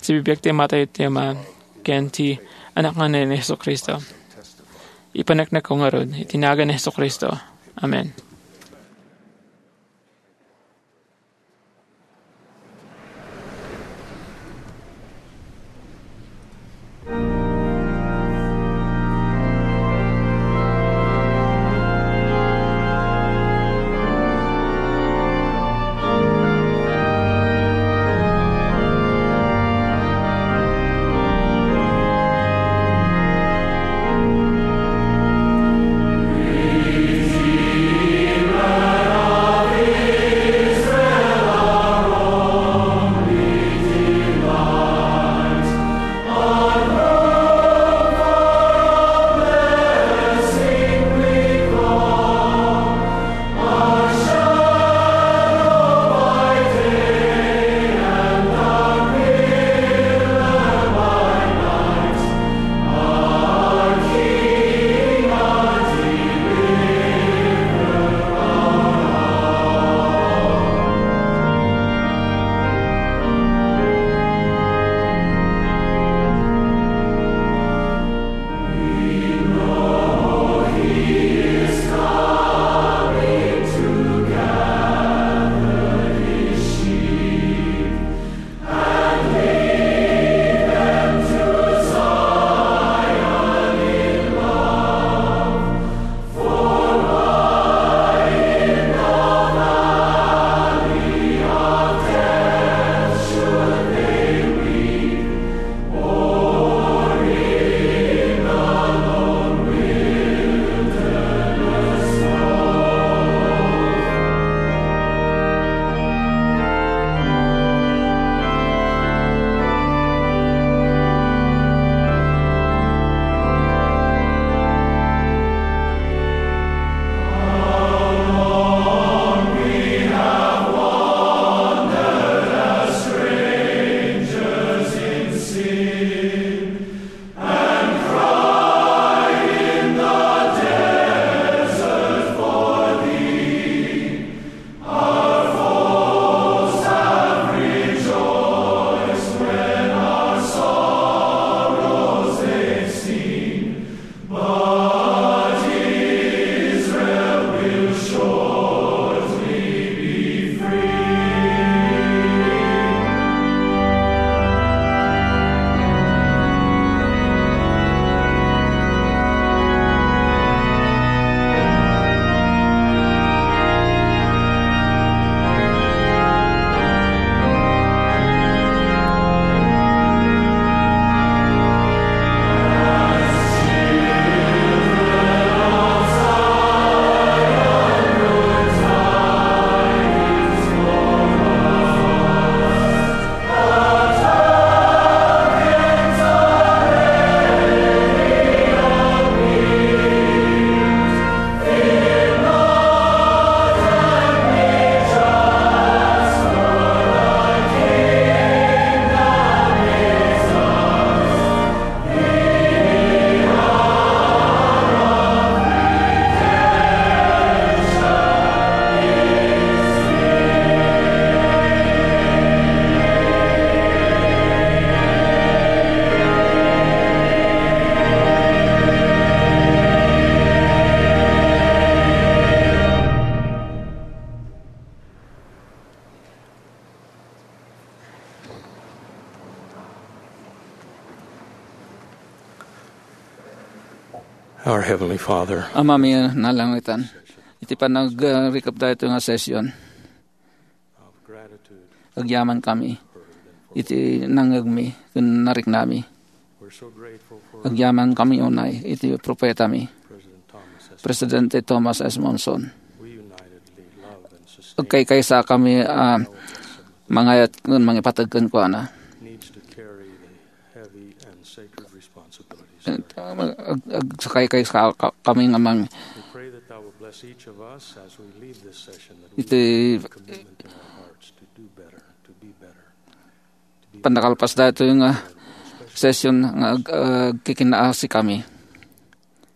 Sibibiag ti Ama tayo ti Ama ken ti Anak nga ni Jesu-Cristo. Ipaneknekko ngarud iti nagan ni Jesu-Cristo. Amen. Our Heavenly Father, Amami a nalangitan, iti panagrikrikda iti nga session, agyamankami iti nangngegmi ken nariknami. Agyamankami unay iti propetami, Presidente Thomas S. Monson. Agkaykaysa kami a mangayat ken mangipateg kenkuana. Ag-, ag-, agsakay kay sa ka-, kami nga mang-, iti pannakalpas daytoy nga session nga ag-, agkikinaasikami.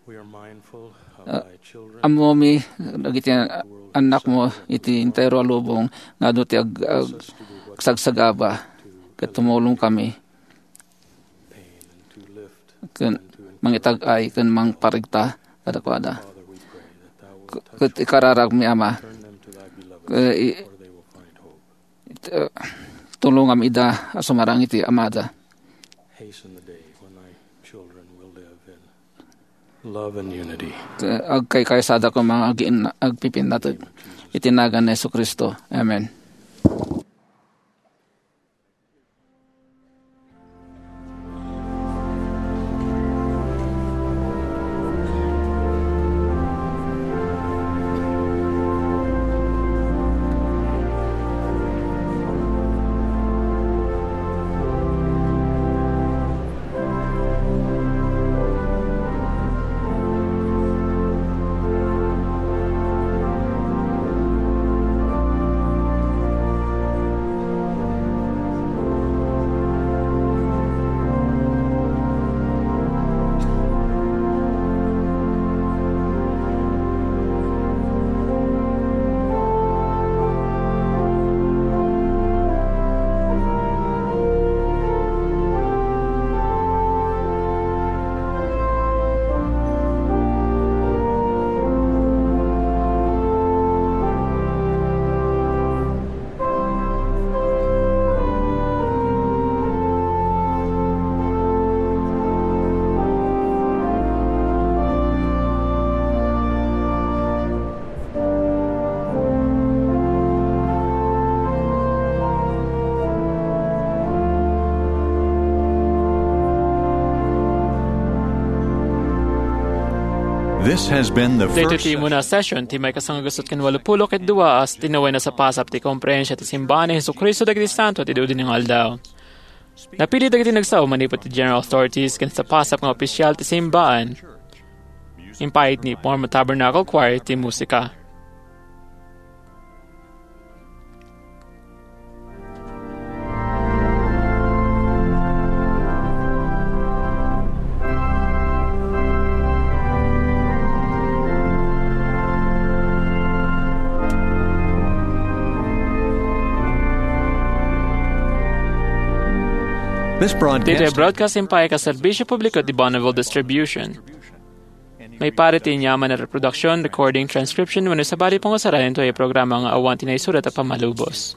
We are mindful of Ah, thy children. Ammomi dagiti an-, annakmo iti entero a lubong nga adu ti ag-, ag-, agsagsagaba ket tumulongkami ken mangitag-ay ken mangparigta kadakuada. K-, ket ikararagmi, Ama, eh, i-, it-, eh, tulongam ida a sumarang iti amada. Hasten the day when thy children will live in love and unity. Agkaykaysadako nga agiinna-, agpipinnateg iti nagan ni Jesu-Cristo. Amen. This has been the Daytoy first ti immuna a session ti maikasangagusot ken walupulo ket dua a tinaway a sapasap ti Komprehensia ti Simbaan ni Jesu-Cristo dagiti Santo ti Dudinna nga Aldaw. Napili dagiti nagsao manipud ti general authorities ken sapasap nga opisial ti simbaan. Impay ni Forma Tabernacle Choir ti musika. This broadcast Daytoy broadcast impay kas serbisyo publiko ti Bonneville Distribution. Maiparit ti aniaman a reproduksion, recording, transcription, wenno sabali pangusara daytoy a programa nga awan ti naisurat a pammalubos.